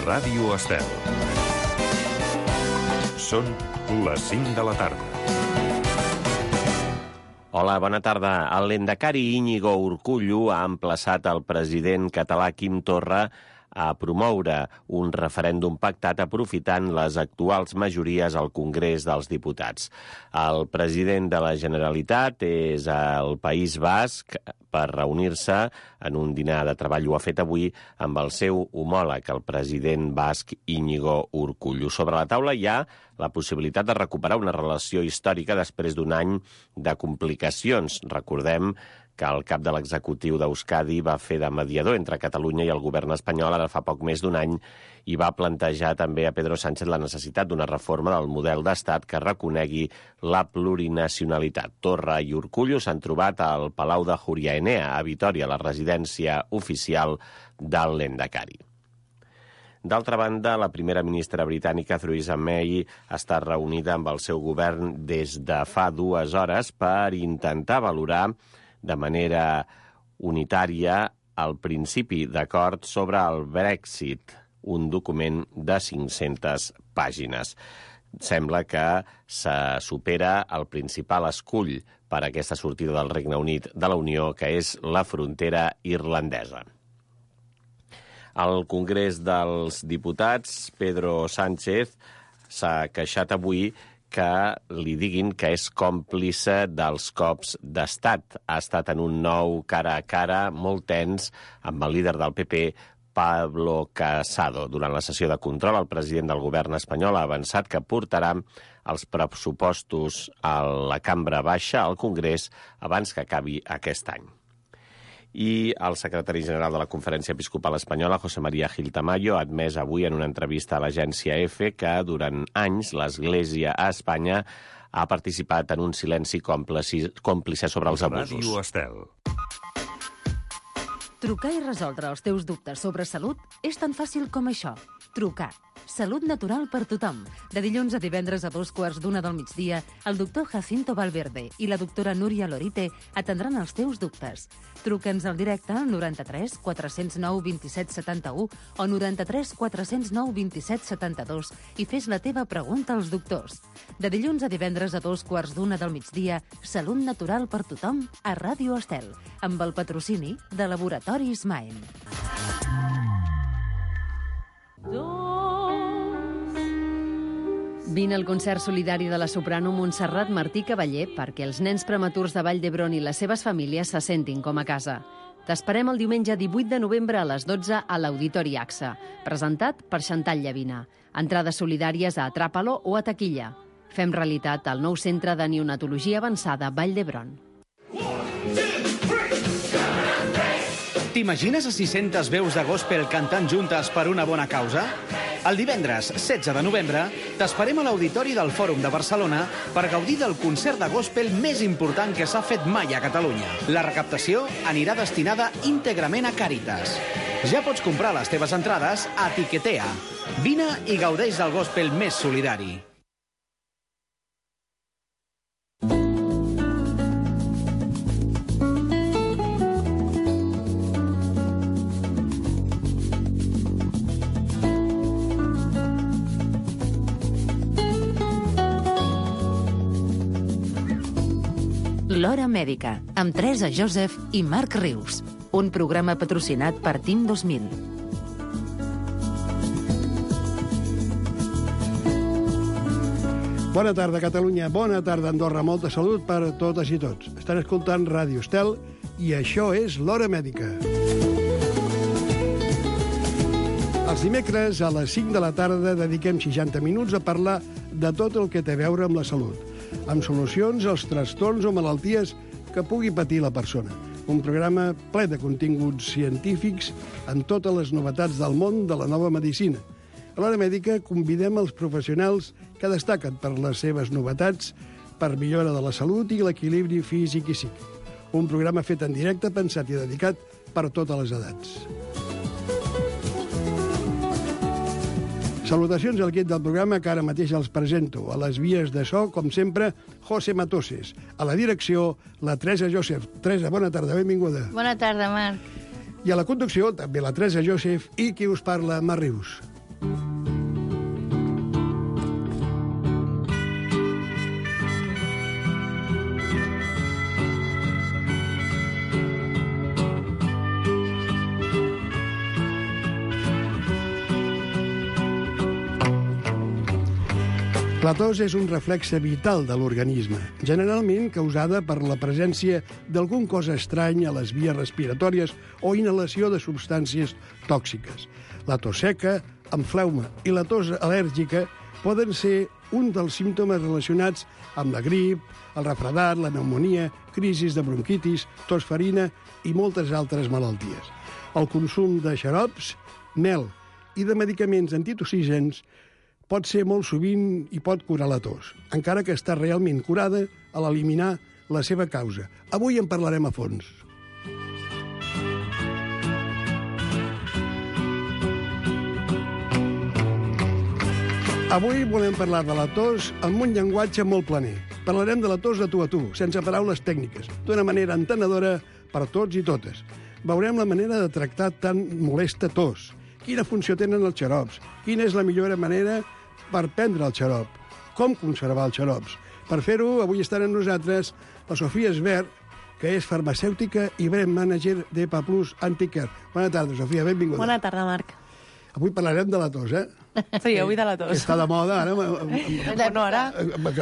Ràdio Estel. Són les 5 de la tarda. Hola, bona tarda. El lehendakari Íñigo Urkullu ha emplaçat el president català Quim Torra a promoure un referèndum pactat aprofitant les actuals majories al Congrés dels Diputats. El president de la Generalitat és al País Basc per reunir-se en un dinar de treball. Ho ha fet avui amb el seu homòleg, el president basc Íñigo Urkullu. Sobre la taula hi ha la possibilitat de recuperar una relació històrica després d'un any de complicacions. Recordem que el cap de l'executiu d'Euskadi va fer de mediador entre Catalunya i el govern espanyol ara fa poc més d'un any i va plantejar també a Pedro Sánchez la necessitat d'una reforma del model d'estat que reconegui la plurinacionalitat. Torra i Urkullu s'han trobat al Palau de Júria Enea, a Vitòria, la residència oficial del lehendakari. D'altra banda, la primera ministra britànica, Theresa May, està reunida amb el seu govern des de fa 2 hores per intentar valorar de manera unitària el principi d'acord sobre el Brexit, un document de 500 pàgines. Sembla que se supera el principal escull per a aquesta sortida del Regne Unit de la Unió, que és la frontera irlandesa. Al Congrés dels Diputats, Pedro Sánchez s'ha queixat avui que li diguin que és còmplice dels cops d'estat. Ha estat en un nou cara a cara molt tens amb el líder del PP, Pablo Casado. Durant la sessió de control, el president del govern espanyol ha avançat que portarà els pressupostos a la cambra baixa, al Congrés, abans que acabi aquest any. I el secretari general de la Conferència Episcopal Espanyola, José María Gil Tamayo, ha admès avui en una entrevista a l'agència EFE que durant anys l'Església a Espanya ha participat en un silenci còmplice sobre els abusos. Ràdio Estel. Trucar i resoldre els teus dubtes sobre salut és tan fàcil com això. Trucar. Salut natural per tothom. De dilluns a divendres a 2:15 del migdia, el doctor Jacinto Valverde i la doctora Núria Lorite atendran els teus dubtes. Truca'ns al directe al 93 409 27 71 o 93 409 27 72 i fes la teva pregunta als doctors. De dilluns a divendres a 2:15 del migdia, Salut natural per tothom a Ràdio Estel, amb el patrocini de Laboratoris Maem. Vine al concert solidari de la soprano Montserrat Martí Cavaller perquè els nens prematurs de Vall d'Hebron i les seves famílies se sentin com a casa. T'esperem el diumenge 18 de novembre a les 12 a l'Auditori AXA, presentat per Xantal Llavina. Entrades solidàries a Atràpalo o a taquilla. Fem realitat el nou centre de neonatologia avançada Vall d'Hebron. T'imagines a 600 veus de gospel cantant juntes per una bona causa? El divendres 16 de novembre t'esperem a l'Auditori del Fòrum de Barcelona per gaudir del concert de gospel més important que s'ha fet mai a Catalunya. La recaptació anirà destinada íntegrament a Càritas. Ja pots comprar les teves entrades a Tiquetea. Vine i gaudeix del gospel més solidari. L'Hora Mèdica, amb Teresa Joseph i Marc Rius. Un programa patrocinat per TIM 2000. Bona tarda, Catalunya. Bona tarda, Andorra. Molta salut per a totes i tots. Estan escoltant Ràdio Estel i això és l'Hora Mèdica. Els dimecres a les 5 de la tarda dediquem 60 minuts a parlar de tot el que té a veure amb la salut, amb solucions als trastorns o malalties que pugui patir la persona. Un programa ple de continguts científics en totes les novetats del món de la nova medicina. A l'Hora Mèdica convidem els professionals que destaquen per les seves novetats per millora de la salut i l'equilibri físic i psíquic. Un programa fet en directe, pensat i dedicat per a totes les edats. Salutacions al equip del programa que ara mateix els presento. A les vies de so, com sempre, José Matoses. A la direcció, la Teresa Joseph. Teresa, bona tarda, benvinguda. Bona tarda, Marc. I a la conducció, també la Teresa Joseph i qui us parla, Marc Rius. La tos és un reflexe vital de l'organisme, generalment causada per la presència d'algun cos estrany a les vies respiratòries o inhalació de substàncies tòxiques. La tos seca, amb fleuma, i la tos al·lèrgica poden ser un dels símptomes relacionats amb la grip, el refredat, la pneumònia, crisis de bronquitis, tosferina i moltes altres malalties. El consum de xarops, mel i de medicaments antitossígens pot ser molt sovint i pot curar la tos, encara que està realment curada a l'eliminar la seva causa. Avui en parlarem a fons. Avui volem parlar de la tos amb un llenguatge molt planer. Parlarem de la tos de tu a tu, sense paraules tècniques, d'una manera entenedora per tots i totes. Veurem la manera de tractar tan molesta tos, quina funció tenen els xarops, quina és la millor manera per prendre el xarop, com conservar els xarops. Per fer-ho, avui estan amb nosaltres la Sofia Esbert, que és farmacèutica i brand manager d'EPA Plus Anticare. Bona tarda, Sofia, benvinguda. Bona tarda, Marc. Avui parlarem de la tos, eh? Sí, avui de la tos. Que està de moda, ara, No, ara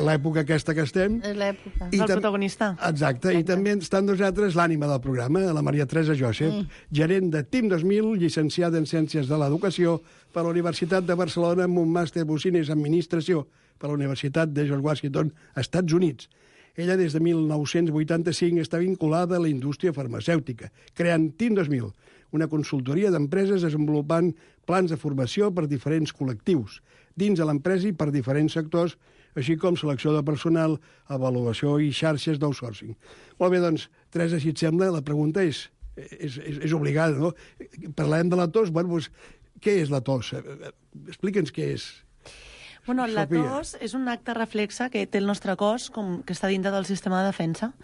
l'època aquesta que estem. És l'època. és el protagonista. Exacte, i també està amb nosaltres l'ànima del programa, la Maria Teresa Josep, gerent de TIM 2000, llicenciada en Ciències de l'Educació per la Universitat de Barcelona amb un màster Business Administració per la Universitat de George Washington, Estats Units. Ella, des de 1985, està vinculada a la indústria farmacèutica, creant TIM 2000, una consultoria d'empreses desenvolupant plans de formació per diferents col·lectius, dins de l'empresa i per diferents sectors, així com selecció de personal, avaluació i xarxes d'outsourcing. Molt bé, doncs, Teresa, si et sembla, la pregunta és obligada, no? Parlem de la tos, bueno, doncs, què és la tos? Explica'ns què és. Bueno, la Sofia. tos és un acte reflexe que té el nostre cos com que està dintre del sistema de defensa.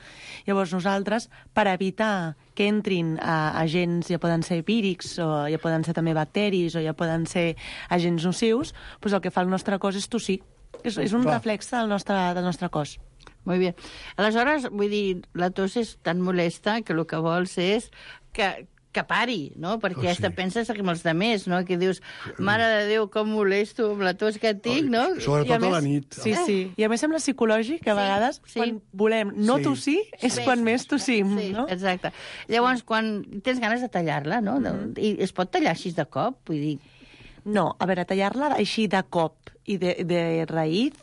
Llavors nosaltres, per evitar que entrin agents, ja poden ser vírics, o ja poden ser també bacteris, o ja poden ser agents nocius, doncs el que fa el nostre cos és tossir. És un reflexe del nostre cos. Molt bé. Aleshores, vull dir, la tos és tan molesta que el que vols és que pari, no? Perquè sí. te penses amb els demés, no? Que dius, mare de Déu, com molesto amb la tos que tinc, no? Sobretot a la nit. Sí, sí. I a més sembla psicològic que a vegades quan volem no tossir és quan més tossim, Sí, no? exacte. Llavors, quan tens ganes de tallar-la, no? I es pot tallar així de cop? Vull dir, No, a veure, tallar-la així de cop i de raïz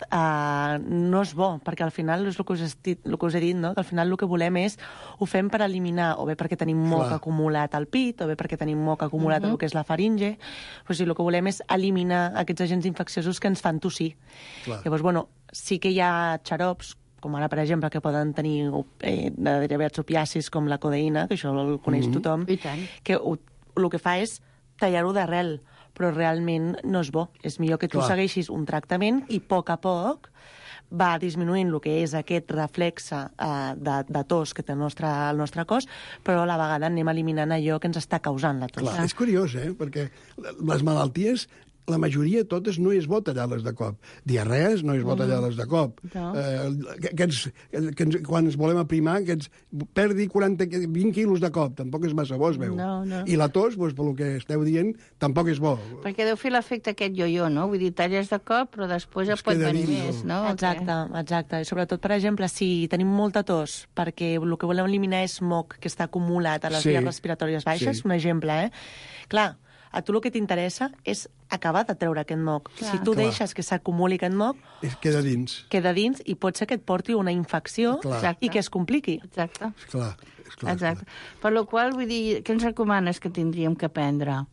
no és bo, perquè al final és el que us he dit, no? Que al final el que volem és, ho fem per eliminar, o bé perquè tenim moc acumulat al pit, o bé perquè tenim moc acumulat en el que és la faringe, però sí, el que volem és eliminar aquests agents infecciosos que ens fan tossir. Llavors, bueno, sí que hi ha xarops, com ara, per exemple, que poden tenir derivats opiacis com la codeïna, que això el coneix tothom, I tant. que el que fa és tallar-ho d'arrel, però realment no és bo. És millor que tu segueixis un tractament i a poc va disminuint el que és aquest reflexe de tos que té el nostre cos, però a la vegada anem eliminant allò que ens està causant la tos. Clar, és curiós, perquè les malalties, la majoria totes no és bo tallar-les de cop. Diarrees no és bo tallar-les de cop. No. Quan ens volem aprimar, que ens perdi 20 quilos de cop, tampoc és massa bo, es veu. No. I la tos, doncs, pel que esteu dient, tampoc és bo. perquè deu fer l'efecte aquest jo-jo, no? Vull dir, talles de cop, però després ja Es pot queda venir dins, més, no? Exacte. I sobretot, per exemple, si tenim molta tos, perquè el que volem eliminar és moc que està acumulat a les vies respiratòries baixes, un exemple, Clar, a tu el que t'interessa és acabar de treure aquest moc. Si tu deixes que s'acumuli aquest moc, Queda dins. i pot ser que et porti una infecció i que es compliqui. Exacte. Esclar. Exacte. Per la qual, vull dir, què ens recomanes que tindríem que prendre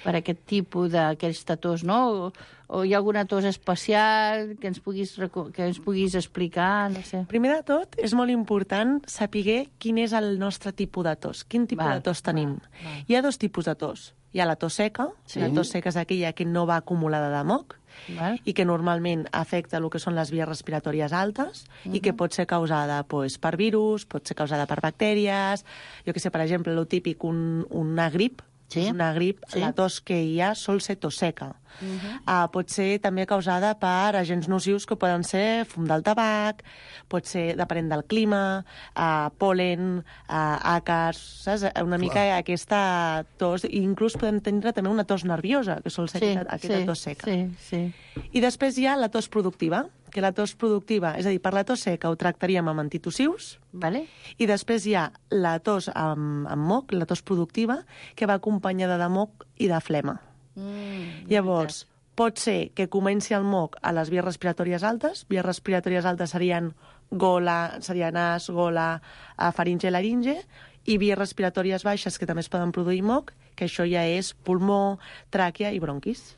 per aquest tipus d'aquesta tos, no? O hi ha alguna tos especial que ens puguis explicar, no sé. Primer de tot, és molt important saber quin és el nostre tipus de tos, quin tipus de tos tenim. Hi ha dos tipus de tos. Hi ha la tos seca, la tos seca és aquella que no va acumulada de moc, i que normalment afecta el que són les vies respiratòries altes i que pot ser causada per virus, pot ser causada per bactèries, jo que sé, per exemple, el típic, una grip, una grip, la tos que hi ha sol ser tos seca. Pot ser també causada per agents nocius que poden ser fum del tabac, pot ser depenent del clima, pol·len, àcars, saps? Una mica aquesta tos, i inclús podem tenir també una tos nerviosa, que sol ser aquesta tos seca. Sí. I després hi ha la tos productiva, que la tos productiva, és a dir, per la tos seca ho tractaríem amb antitussius, Vale? i després hi ha la tos amb moc, la tos productiva, que va acompanyada de moc i de flema. Llavors, pot ser que comenci el moc a les vies respiratòries altes. Vies respiratòries altes serien nas, gola, faringe i laringe, i vies respiratòries baixes, que també es poden produir moc, que això ja és pulmó, tràquea i bronquis.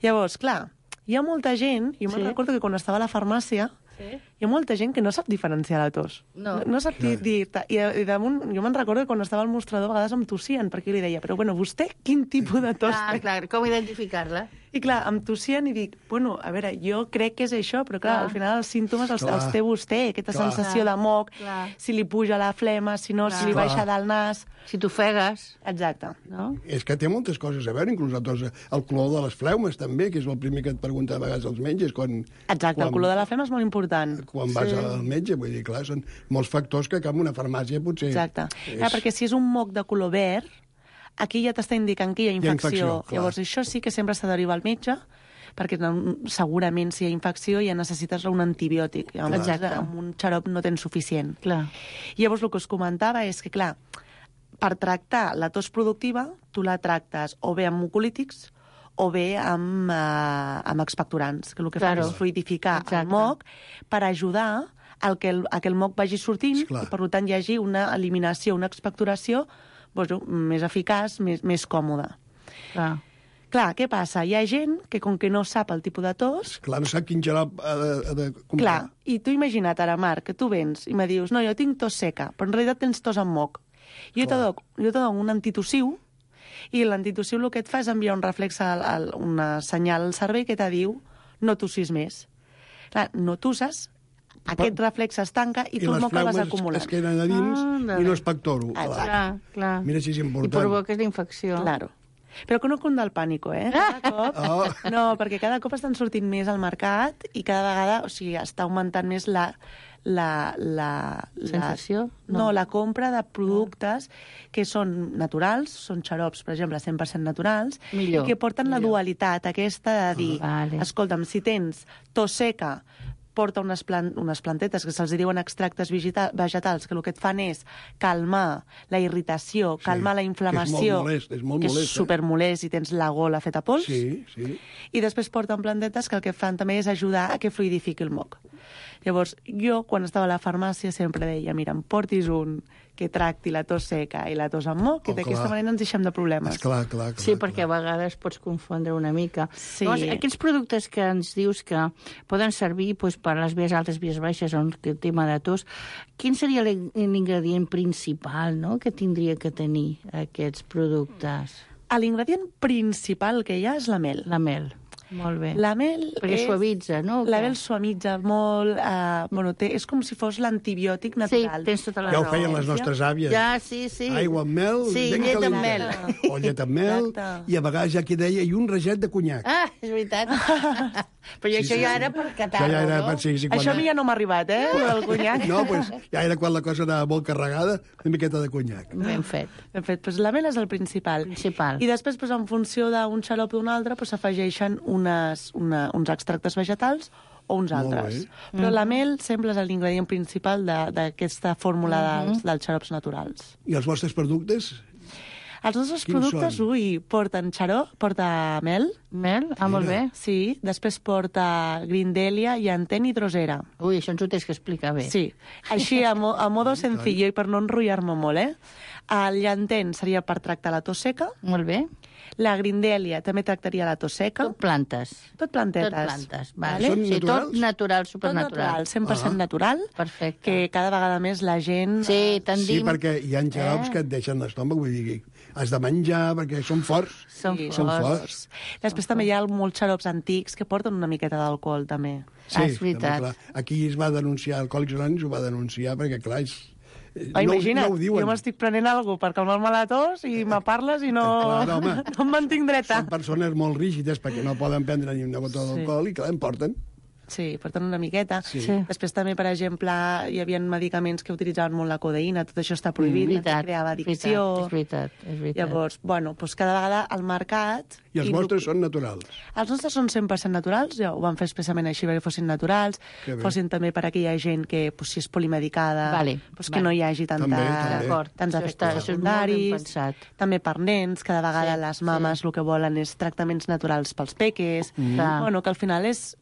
Llavors, clar, hi ha molta gent, jo me'n recordo que quan estava a la farmàcia, hi ha molta gent que no sap diferenciar la tos. No sap dir... I damunt, jo me'n recordo que quan estava al mostrador a vegades em tossien, perquè jo li deia, però bueno, vostè quin tipus de tos té? Clar, com identificar-la? I clar, em tossien i dic, bueno, a veure, jo crec que és això, però clar, al final els símptomes els té vostè, aquesta sensació de moc, si li puja la flema, si no, si li baixa del nas... Si t'ofegues. Exacte. No? És que té moltes coses a veure, inclús el color de les fleumes, també, que és el primer que et pregunta a vegades als metges. Exacte, el color de la flema és molt important. Quan vas al metge, vull dir, clar, són molts factors que en una farmàcia potser... Exacte. Perquè si és un moc de color verd, aquí ja t'està indicant que hi ha infecció. Llavors, això sí que sempre s'ha de derivar al metge, perquè segurament si hi ha infecció ja necessites un antibiòtic. Amb un xarop no tens suficient. Llavors, el que us comentava és que, clar, per tractar la tos productiva, tu la tractes o bé amb mucolítics o bé amb expectorants, que el que fan és fluidificar el moc per ajudar a que el moc vagi sortint i, per tant, hi hagi una eliminació, una expectoració més eficaç, més còmoda. Clar, què passa? Hi ha gent que, com que no sap el tipus de tos... Clar, no sap quin xarop ha de comprar. Clar, i tu imagina't ara, Marc, que tu vens i me dius, no, jo tinc tos seca, però en realitat tens tos amb moc. Jo te dono un antitussiu, i l'antitussiu el que et fa és enviar un reflex, una senyal al cervell que te diu no tossis més. Clar, no tosses, aquest reflex es tanca i tu el moc el vas acumulant. I les fleumes es queden a dins i no es pectoro. Clar. Mira si és important. I provoques la infecció. Claro. Però que no cunda el pànico, Cada cop... No, perquè cada cop estan sortint més al mercat i cada vegada, o sigui, està augmentant més la sensació? No, la compra de productes que són naturals, són xarops, per exemple, 100% naturals, i que porten la dualitat aquesta de dir, escolta'm, si tens tos seca, porta unes plantetes que se'ls diuen extractes vegetals, que el que et fan és calmar la irritació, calmar la inflamació, que és molt molest, que és supermolest i tens la gola feta pols. Sí. I després porten plantetes que el que fan també és ajudar a que fluidifiqui el moc. Llavors, jo, quan estava a la farmàcia, sempre deia, mira, em portis un que tracti la tos seca i la tos amb moc, i d'aquesta manera ens deixem de problemes. Clar. Sí, perquè a vegades pots confondre una mica. Sí. Llavors, aquests productes que ens dius que poden servir per les vies altes, vies baixes, on el tema de tos, quin seria l'ingredient principal que tindria que tenir aquests productes? L'ingredient principal que hi ha és la mel. La mel. Molt bé. La mel perquè suavitza, no? La mel suavitza molt. És com si fos l'antibiòtic natural. Sí, tens tota la raó. Ja ho feien les nostres àvies. Ja, sí. Aigua amb mel, llet amb mel. O llet amb mel, i a vegades ja que deia, i un raget de conyac. És veritat. Però això ja era per catar-lo, no? Això a mi ja no m'ha arribat, el conyac. No, doncs ja era quan la cosa anava molt carregada, una miqueta de conyac. Ben fet. Doncs la mel és el principal. I després, en funció d'un xarop o d'un altre, s'afegeixen uns extractes vegetals o uns altres. Però la mel sempre és l'ingredient principal d'aquesta fórmula dels xarops naturals. I els vostres productes? Els nostres productes, porten xarop, porta mel. Mel? Molt bé. Sí, després porta grindelia, llantén i drosera. Això ens ho tens que explicar bé. Sí, així a modo sencillo i per no enrotllar-me molt, El llantén seria per tractar la tos seca. Molt bé. La grindelia també tractaria la tos seca. Tot plantes. Tot plantetes. Tot plantes, vale. Són naturals? Tot natural, supernatural. 100% natural. Perfecte. Que cada vegada més la gent... Sí, tendim... Sí, perquè hi ha xarops que et deixen l'estómac, vull dir, has de menjar, perquè són forts. Són forts. Després també hi ha molts xarops antics que porten una miqueta d'alcohol, també. Sí, és veritat. També, aquí es va denunciar, Alcohòlics Anònims ho va denunciar, perquè, clar, imagina't, no ho diuen. jo m'estic prenent alguna cosa per calmar-me la tos i me parles i no em mantinc dreta. Són persones molt rígides perquè no poden prendre ni una gota d'alcohol i, clar, em porten. Sí, porten una miqueta. Sí. Després també, per exemple, hi havia medicaments que utilitzaven molt la codeïna, tot això està prohibit, creava addicció. És veritat. Llavors, bueno, doncs cada vegada al mercat... I els vostres són naturals. Els nostres són 100% naturals, ja ho van fer expressament així perquè fossin naturals, fossin també per a aquella gent que, doncs, si és polimedicada, que no hi hagi tants efectes secundaris. També per nens, cada vegada les mames el que volen és tractaments naturals pels peques. Bueno, que al final és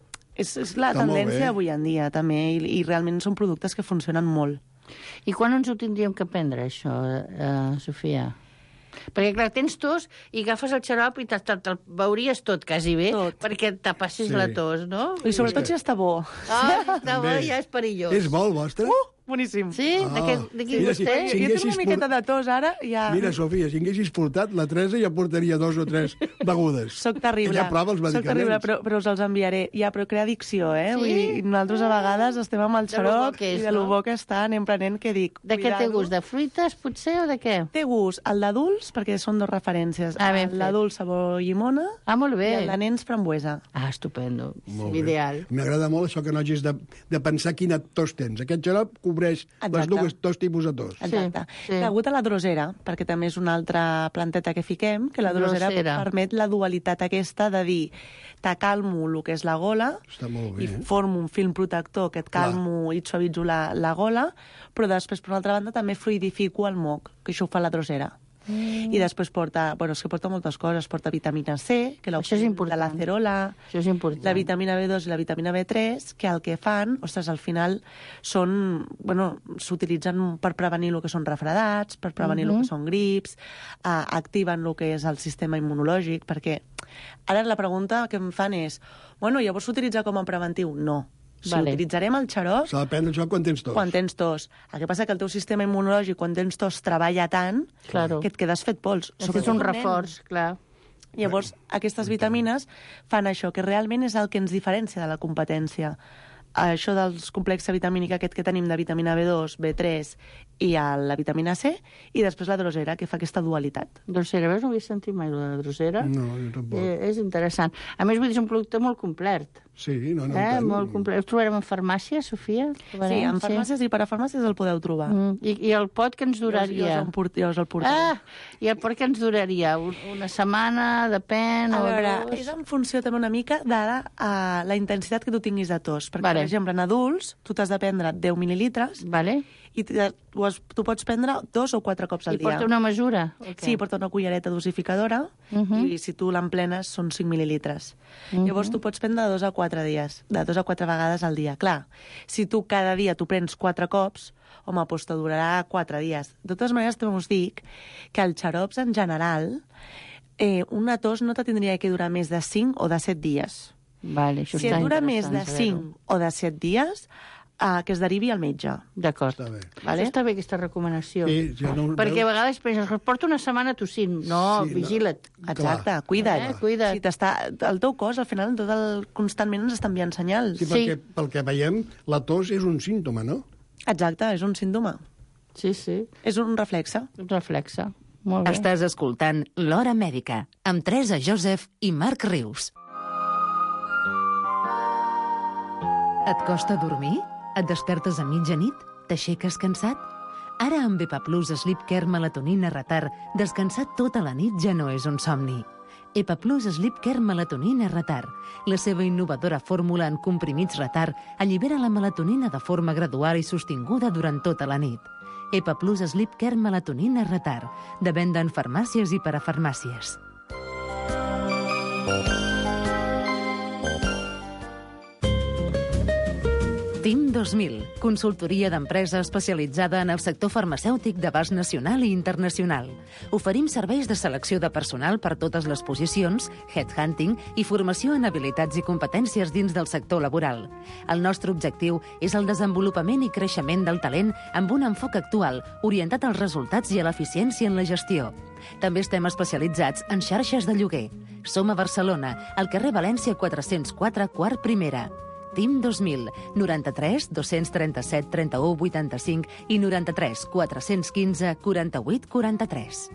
la tendència avui en dia, també, i realment són productes que funcionen molt. I quan ens ho tindríem que prendre, això, Sofia? Perquè, clar, tens tos i agafes el xarop i te'l veuries tot, quasi bé, perquè te passis la tos, no? I sobretot si està bo. Està bo, ja és perillós. És bo el vostre? Boníssim. Sí? De qui vostè? Jo tinc una miqueta de tos ara. Ja... Mira, Sofia, si haguessis portat, la Teresa ja portaria 2 o 3 begudes. Soc terrible. Ella prova els medicaments. Soc terrible, però us els enviaré. Ja, però crea addicció, eh? Vull dir, nosaltres a vegades estem amb el xarop i de lo bo que està, anem prenent, que dic... De què té gust? De fruites, potser, o de què? Té gust el d'adults, perquè són 2 referències. L'adult sabor llimona molt bé. I el de nens frambuesa. Estupendo. Ideal. M'agrada molt això que no hagis de pensar quina tos tens. Aquest xarop cobreix les dos tipus de tos. Exacte. Degut a la drosera, perquè també és una altra planteta que fiquem, que la drosera permet la dualitat aquesta de dir t'acalmo el que és la gola i formo un film protector que et calmo i et suavitzo la gola, però després, per una altra banda, també fluidifico el moc, que això ho fa la drosera. I després porta, és que porta moltes coses, porta vitamina C, que això és important. De l'acerola, la vitamina B2 i la vitamina B3, que el que fan, al final s'utilitzen per prevenir el que són refredats, per prevenir el que són grips, activen el que és el sistema immunològic, perquè ara la pregunta que em fan és, llavors s'utilitza com a preventiu? No. Si utilitzarem el xarop... S'ha de prendre això quan tens tos. Quan tens tos. El que passa que el teu sistema immunològic, quan tens tos, treballa tant que et quedes fet pols. És un reforç, clar. Llavors, aquestes vitamines fan això, que realment és el que ens diferencia de la competència. Això dels complex vitamínic aquest que tenim de vitamina B2, B3 i la vitamina C, i després la drosera, que fa aquesta dualitat. Drosera, veus? No havia sentit mai la drosera. No, jo tampoc. És interessant. A més, vull dir, és un producte molt complet. Sí, molt complet. Ho trobarem en farmàcia, Sofia? Sí, en farmàcies i parafarmàcies el podeu trobar. I el pot que ens duraria? Jo us el portaré. I el pot que ens duraria? Una setmana, depèn? A veure, és en funció també una mica de la intensitat que tu tinguis de tos. Perquè, per exemple, en adults, tu t'has de prendre 10 mil·lilitres i tu pots prendre 2 o 4 cops al dia. I porta una mesura? Sí, porta una cullereta dosificadora i si tu l'emplenes són 5 mil·lilitres. Llavors tu pots prendre de 2 a 4 dies, de 2 a 4 vegades al dia. Clar, si tu cada dia tu prens 4 cops, home, doncs te durarà 4 dies. De totes maneres, també us dic que els xarops en general, una tos no te tindria que durar més de 5 o de 7 dies. Si et dura més de 5 o de 7 dies, que es derivi al metge. D'acord. Està bé, aquesta recomanació. Perquè a vegades penses, porta una setmana tossint. No, vigila't. Exacte, cuida't. El teu cos, al final, constantment ens està enviant senyals. Sí, perquè pel que veiem, la tos és un símptoma, no? Exacte, és un símptoma. Sí. És un reflexe. Un reflexe. Molt bé. Estàs escoltant L'Hora Mèdica, amb Teresa Joseph i Marc Rius. Et costa dormir? Et despertes a mitjanit? T'aixeques cansat? Ara amb Epaplus Sleep Care Melatonina Retard, descansar tota la nit ja no és un somni. Epaplus Sleep Care Melatonina Retard. La seva innovadora fórmula en comprimits retard allibera la melatonina de forma gradual i sostinguda durant tota la nit. Epaplus Sleep Care Melatonina Retard. De venda en farmàcies i parafarmàcies. TIM 2000, consultoria d'empresa especialitzada en el sector farmacèutic d'abast nacional i internacional. Oferim serveis de selecció de personal per totes les posicions, headhunting i formació en habilitats i competències dins del sector laboral. El nostre objectiu és el desenvolupament i creixement del talent amb un enfoc actual, orientat als resultats i a l'eficiència en la gestió. També estem especialitzats en xarxes de lloguer. Som a Barcelona, al carrer València 404, quart primera. TIM 2000, 93 237 31 85 i 93 415 48 43.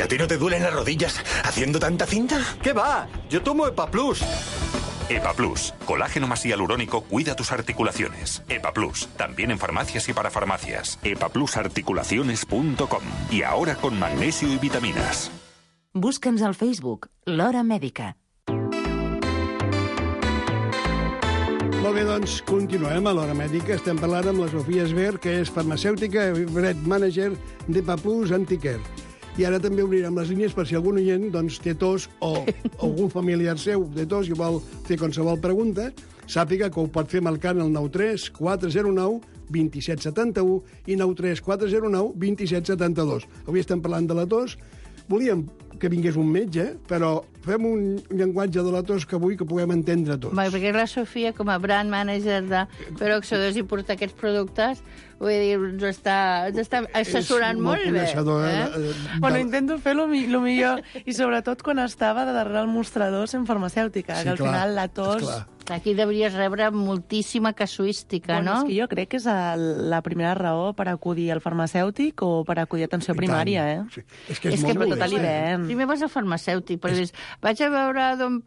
¿Y a ti no te duelen las rodillas haciendo tanta cinta? ¿Qué va? Yo tomo EpaPlus. EpaPlus, colágeno más hialurónico, cuida tus articulaciones. EpaPlus, también en farmacias y para farmacias. EpaPlusArticulaciones.com. Y ahora con magnesio y vitaminas. Busca'ns al Facebook, l'Hora Mèdica. Molt bé, doncs, continuem a l'Hora Mèdica. Estem parlant amb la Sofia Esber, que és farmacèutica i brand manager d'EpaPlus Anticare. I ara també obrirem les línies per si algun oient doncs, té tos o algun familiar seu té tos i vol fer qualsevol pregunta, sàpiga que ho pot fer marcant el 93 409 2771 i 93 409 2772. Avui estem parlant de la tos. Volíem que vingués un metge, però fem un llenguatge de la tos que vull que puguem entendre tots. Bé, perquè la Sofia, com a brand manager de Peroxodos i portar aquests productes, vull dir, ens està assessorant molt bé. Bueno, intento fer lo millor, i sobretot quan estava darrere el mostrador sent farmacèutica, que al final la tos... Aquí devries rebre moltíssima casuística, no? És que jo crec que és la primera raó per acudir al farmacèutic o per acudir a atenció primària, eh? Sí. És que és molt tot l'hivern. Primer vas al farmacèutic, però dius, vaig a veure a don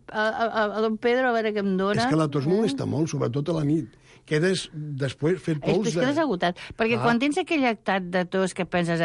Pedro a veure què em dona. És que la tos molesta molt, sobretot a la nit. Quedes després fet pols És que quedes agotat. Perquè quan tens aquell actat de tos que penses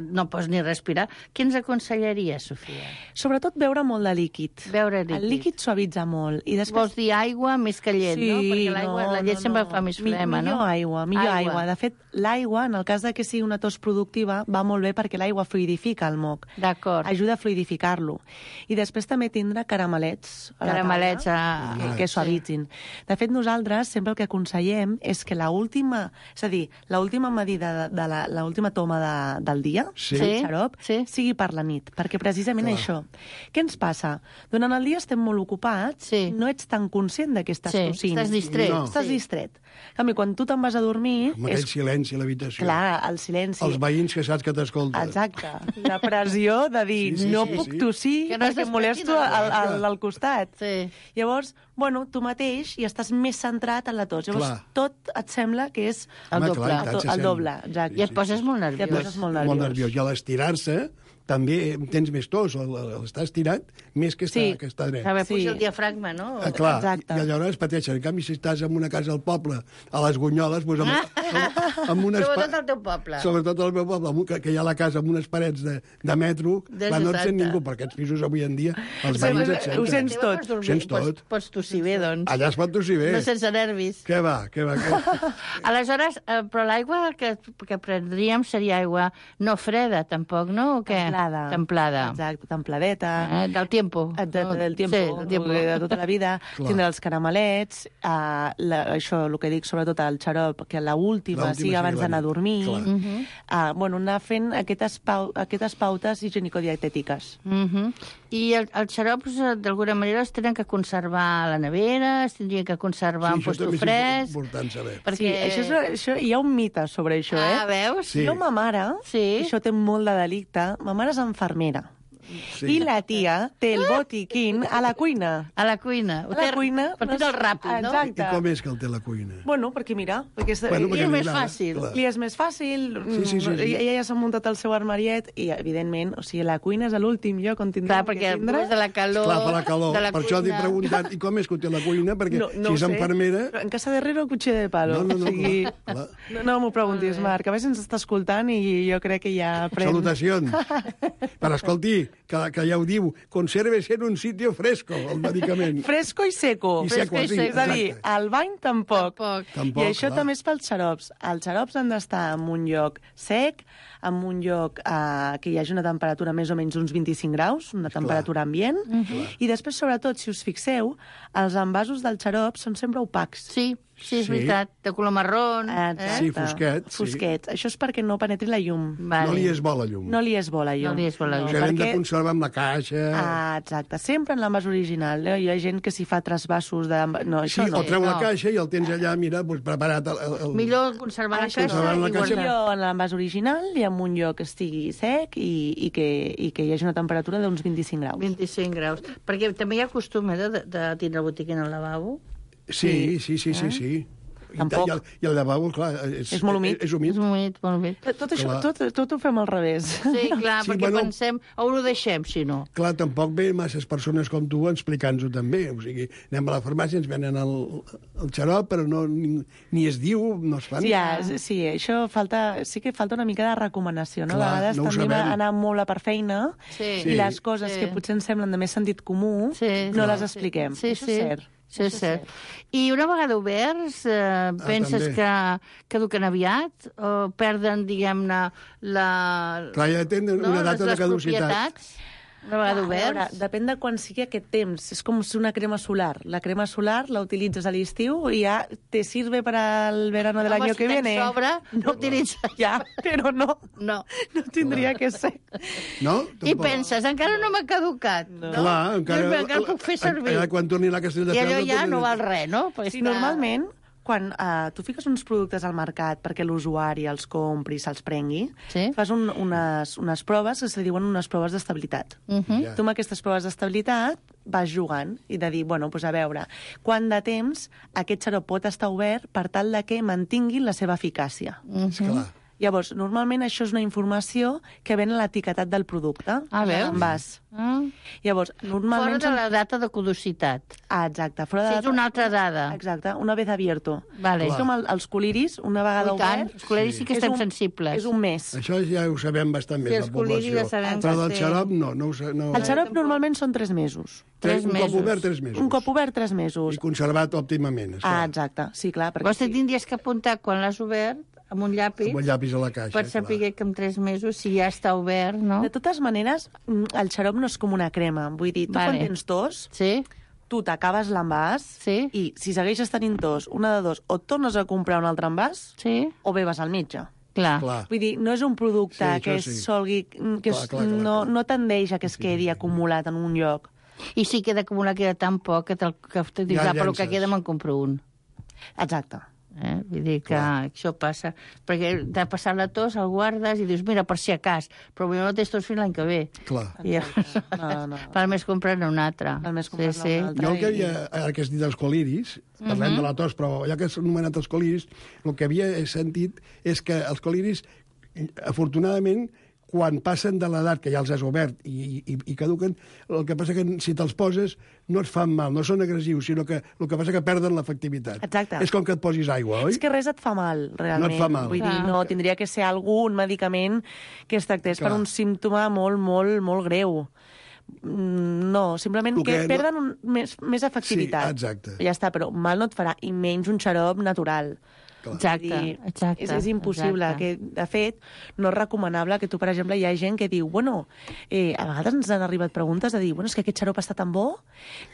no pots ni respirar, què ens aconsellaria, Sofia? Sobretot beure molt de líquid. Beure líquid. El líquid suavitza molt. I després... Vols dir aigua més que llet, no? Perquè la llet sempre fa més flema, no? Millor aigua. De fet, l'aigua, en el cas de que sigui una tos productiva, va molt bé perquè l'aigua fluidifica el moc. D'acord. Ajuda a fluidificar-lo. I després també tindre caramelets a la taula que suavitzin. De fet, nosaltres sempre el que aconsellem és que l'última medida de l'última toma del dia, el xarop, sigui per la nit, perquè precisament això. Què ens passa? Durant el dia estem molt ocupats, no ets tan conscient de que estàs tossint. Estàs distret. Estàs distret. En canvi, quan tu te'n vas a dormir... Amb aquell silenci a l'habitació. Clar, el silenci. Els veïns que saps que t'escolten. Exacte. La pressió de dir no puc tossir perquè molesto al costat. Llavors, bueno, tu mateix i estàs més centrat en la tos. Llavors, tot et sembla que és el doble. Exacte. I et poses molt nerviós. Molt nerviós. I a l'estirar-se també tens més tos, l'estar estirat més que estar dret. A veure, puja el diafragma, no? Clar, i aleshores pateixen. En canvi, si estàs en una casa al poble, a les Gunyoles, doncs amb unes... Sobretot al teu poble. Sobretot al meu poble, que hi ha la casa amb unes parets de metro, clar, no et sent ningú, perquè aquests pisos avui en dia, els veïns et senten. Ho sents tot. Ho sents tot. Pots tossir bé, doncs. Allà es pot tossir bé. No sense nervis. Què va. Aleshores, però l'aigua que prendríem seria aigua no freda, tampoc, no? O què? Templada. Exacte, templadeta. Del tiempo. Del tiempo, de tota la vida. Tindre els caramelets, això, el que dic, sobretot el xarop, que l'última sigui abans d'anar a dormir. Bueno, anar fent aquestes pautes higienico-dietètiques. I els xarops, d'alguna manera, es tenen que conservar a la nevera, es tindrien que conservar en posto fresc... Sí, això també és important saber. Això, hi ha un mite sobre això, eh? Veus? Jo, ma mare, això té molt de delicte, ma mare és infermera. I la tia té el botiquín a la cuina. A la cuina. Per tot el ràpid, no? Exacte. I com és que el té a la cuina? Bueno, perquè mira... Li és més fàcil. Li és més fàcil. Ella ja s'ha muntat el seu armariet i, evidentment, o sigui, la cuina és l'últim lloc on tindrà que tindre... Clar, perquè de la calor... Clar, per la calor. Per això t'he preguntat, i com és que ho té a la cuina? Perquè si és infermera... En casa de Herrero, cuchillo de palo. No m'ho preguntis, Marc. A veure si ens està escoltant i jo crec que ja aprèn... Salutacions. Però escolti, que ja ho diu, conserves en un sitio fresco, el medicament. Fresco i seco. I seco, sí. És a dir, al bany tampoc. I això també és pels xarops. Els xarops han d'estar en un lloc sec, en un lloc que hi hagi una temperatura més o menys uns 25 graus, una temperatura ambient, i després, sobretot, si us fixeu, els envasos del xarop són sempre opacs. Sí, és veritat, de color marrón. Sí, fosquets. Fosquets. Això és perquè no penetri la llum. No li és bo la llum. No li és bo la llum. Això hem de conservar amb la caixa. Exacte, sempre en l'envàs original. Hi ha gent que s'hi fa trasvassos de... Sí, o treu la caixa i el tens allà, mira, preparat. Millor conservar la caixa. En l'envàs original i en un lloc que estigui sec i que hi hagi una temperatura d'uns 25 graus. 25 graus. Perquè també hi ha costum de tindre botiquín al lavabo. Sí. Tampoc. I el lavabo, clar, És molt humit. És humit. És humit, molt humit. Tot això, tot ho fem al revés. Sí, clar, Sí, perquè bueno, pensem, on ho deixem, si no? Clar, tampoc ve masses persones com tu explicant-ho també. O sigui, anem a la farmàcia, ens venen el xarop, però no, ni es diu, no es fan. Sí, això sí que falta una mica de recomanació, no? Clar, A vegades no ho tendim a sabem. anar molt per feina i les coses que potser ens semblen de més sentit comú no les expliquem. Sí, Això és cert. Sí, és cert. I una vegada oberts, penses també. que caduquen aviat? O perden, diguem-ne, Clar, ja tenen una data de caducitat. propietats? Una vegada A veure, oberts? depèn de quan sigui aquest temps. És com si una crema solar. La crema solar la utilitzes a l'estiu i ja te sirve para el verano del año que viene. Si tens sobre, no utilitzes. Ja, però no. No. No tindria que ser. No? I Tampoc. penses, encara no m'ha caducat. No? Clar, encara el puc fer servir. Quan torni la Castelldefels... I allò ja no val res, no? Perquè Sí, normalment, quan tu fiques uns productes al mercat perquè l'usuari els compri, se'ls prengui, fas unes proves que se li diuen unes proves d'estabilitat. Tu amb aquestes proves d'estabilitat vas jugant i de dir, bueno, doncs a veure, quant de temps aquest xarop pot estar obert per tal de que mantinguin la seva eficàcia. Esclar. Llavors, normalment això és una informació que ven a l'etiquetat del producte. Veus? L'envàs. Llavors, normalment... Fora de la data de caducitat. Exacte. Fora de Si és una altra dada. Exacte, una vez abierto. Vale. És com els coliris, una vegada I tant, obert... els coliris sí que estem sensibles. És un mes. Això ja ho sabem bastant més, Sí, la els coliris població. ja sabem Però que del sí. xarop no. El xarop normalment són 3 mesos. Un cop obert, 3 mesos. Un cop obert, 3 mesos. I conservat òptimament, esclar. Exacte, sí, clar. Vols que tindries que apuntar quan l'has obert amb un llapis, Amb un llapis a la caixa, per saber que en 3 mesos, si ja està obert, no? De totes maneres, el xarop no és com una crema. Vull dir, tu quan tens tos, tu t'acabes l'envàs i si segueixes tenint tos, una de dos, o et tornes a comprar un altre envàs o bé vas al metge. Clar. Vull dir, no és un producte Sí, que això sí. solgui... que no tendeix a que es quedi acumulat en un lloc. I si queda acumulat, queda tan poc que te dius, Ja però que llences. queda me'n compro un. Exacte. Vull dir que això passa. Perquè t'ha passat la tos, el guardes i dius, mira, per si a cas, però potser no tens tos fins l'any que ve. Clar. I No. val més comprar-ne un altre. Val més comprar-ne un altre. Jo el que havia, ara que has dit dels coliris, parlem de la tos, però ja que has anomenat els coliris, el que havia sentit és que els coliris, afortunadament, quan passen de l'edat que ja els has obert i caduquen, el que passa que si te'ls poses no et fan mal, no són agressius, sinó que el que passa que perden l'efectivitat. Exacte. És com que et posis aigua, oi? És que res et fa mal, realment. No et fa mal. Vull dir, no, tindria que ser algun medicament que es tractés per un símptoma molt, molt, molt greu. No, simplement El que que perden més efectivitat. Sí, exacte. Ja està, però mal no et farà, i menys un xarop natural. Exacte. És impossible. Que, de fet, no és recomanable que tu, per exemple, hi ha gent que diu, bueno, a vegades ens han arribat preguntes de dir, bueno, és que aquest xarop està tan bo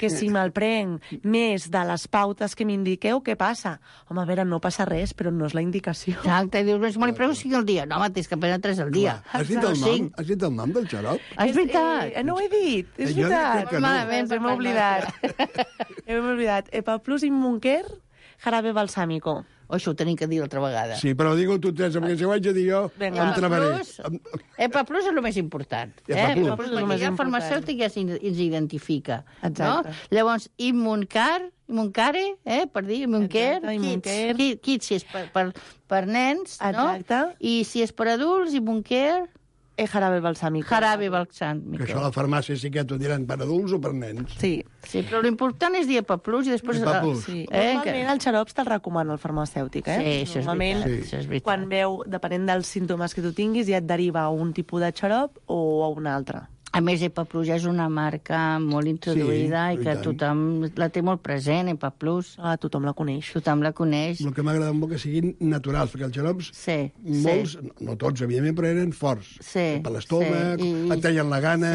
que si me'l prenc més de les pautes que m'indiqueu, què passa? Home, a veure, no passa res, però no és la indicació. Exacte, i dius, me li prego 5 al dia. No, home, tens que prendre 3 al dia. Has dit el nom? Has dit el nom del xarop? És veritat. No ho he dit, és Jo veritat. crec que no. Malament, hem oblidat. Hem oblidat. Epaplus Immunker, jarabe balsámico. O això ho tenim que dir altra vegada. Sí, però digue-ho tu, Teresa, perquè si ho haig de dir jo, Vinga. em travaré. Epaplus és el més important. Epaplus. Perquè ja el farmacèutic ja ens identifica. Exacte. No? Llavors, Immuncare, per dir, Immuncare, Exacte, Immuncare. Kits, si és per nens, no? Exacte. I si és per adults, Immuncare, Jarabe balsámico. jarabe Que balsámico. això a la farmàcia sí que t'ho diran per adults o per nens. Sí. Sí, però l'important és dir Epaplus i després... Epaplus. Sí. Normalment el xarops te'l recomana el farmacèutic, Sí, això és Normalment, veritat, això és veritat. quan veu, depenent dels símptomes que tu tinguis, ja et deriva a un tipus de xarop o a un altre. A més, Epaplus ja és una marca molt introduïda Sí, i que i tant. tothom la té molt present, Epaplus. Tothom la coneix. Tothom la coneix. El que m'agrada molt que siguin naturals, perquè els xarops, Sí, molts, no tots, evidentment, però eren forts. Sí, Per l'estómac, sí, et treien la gana...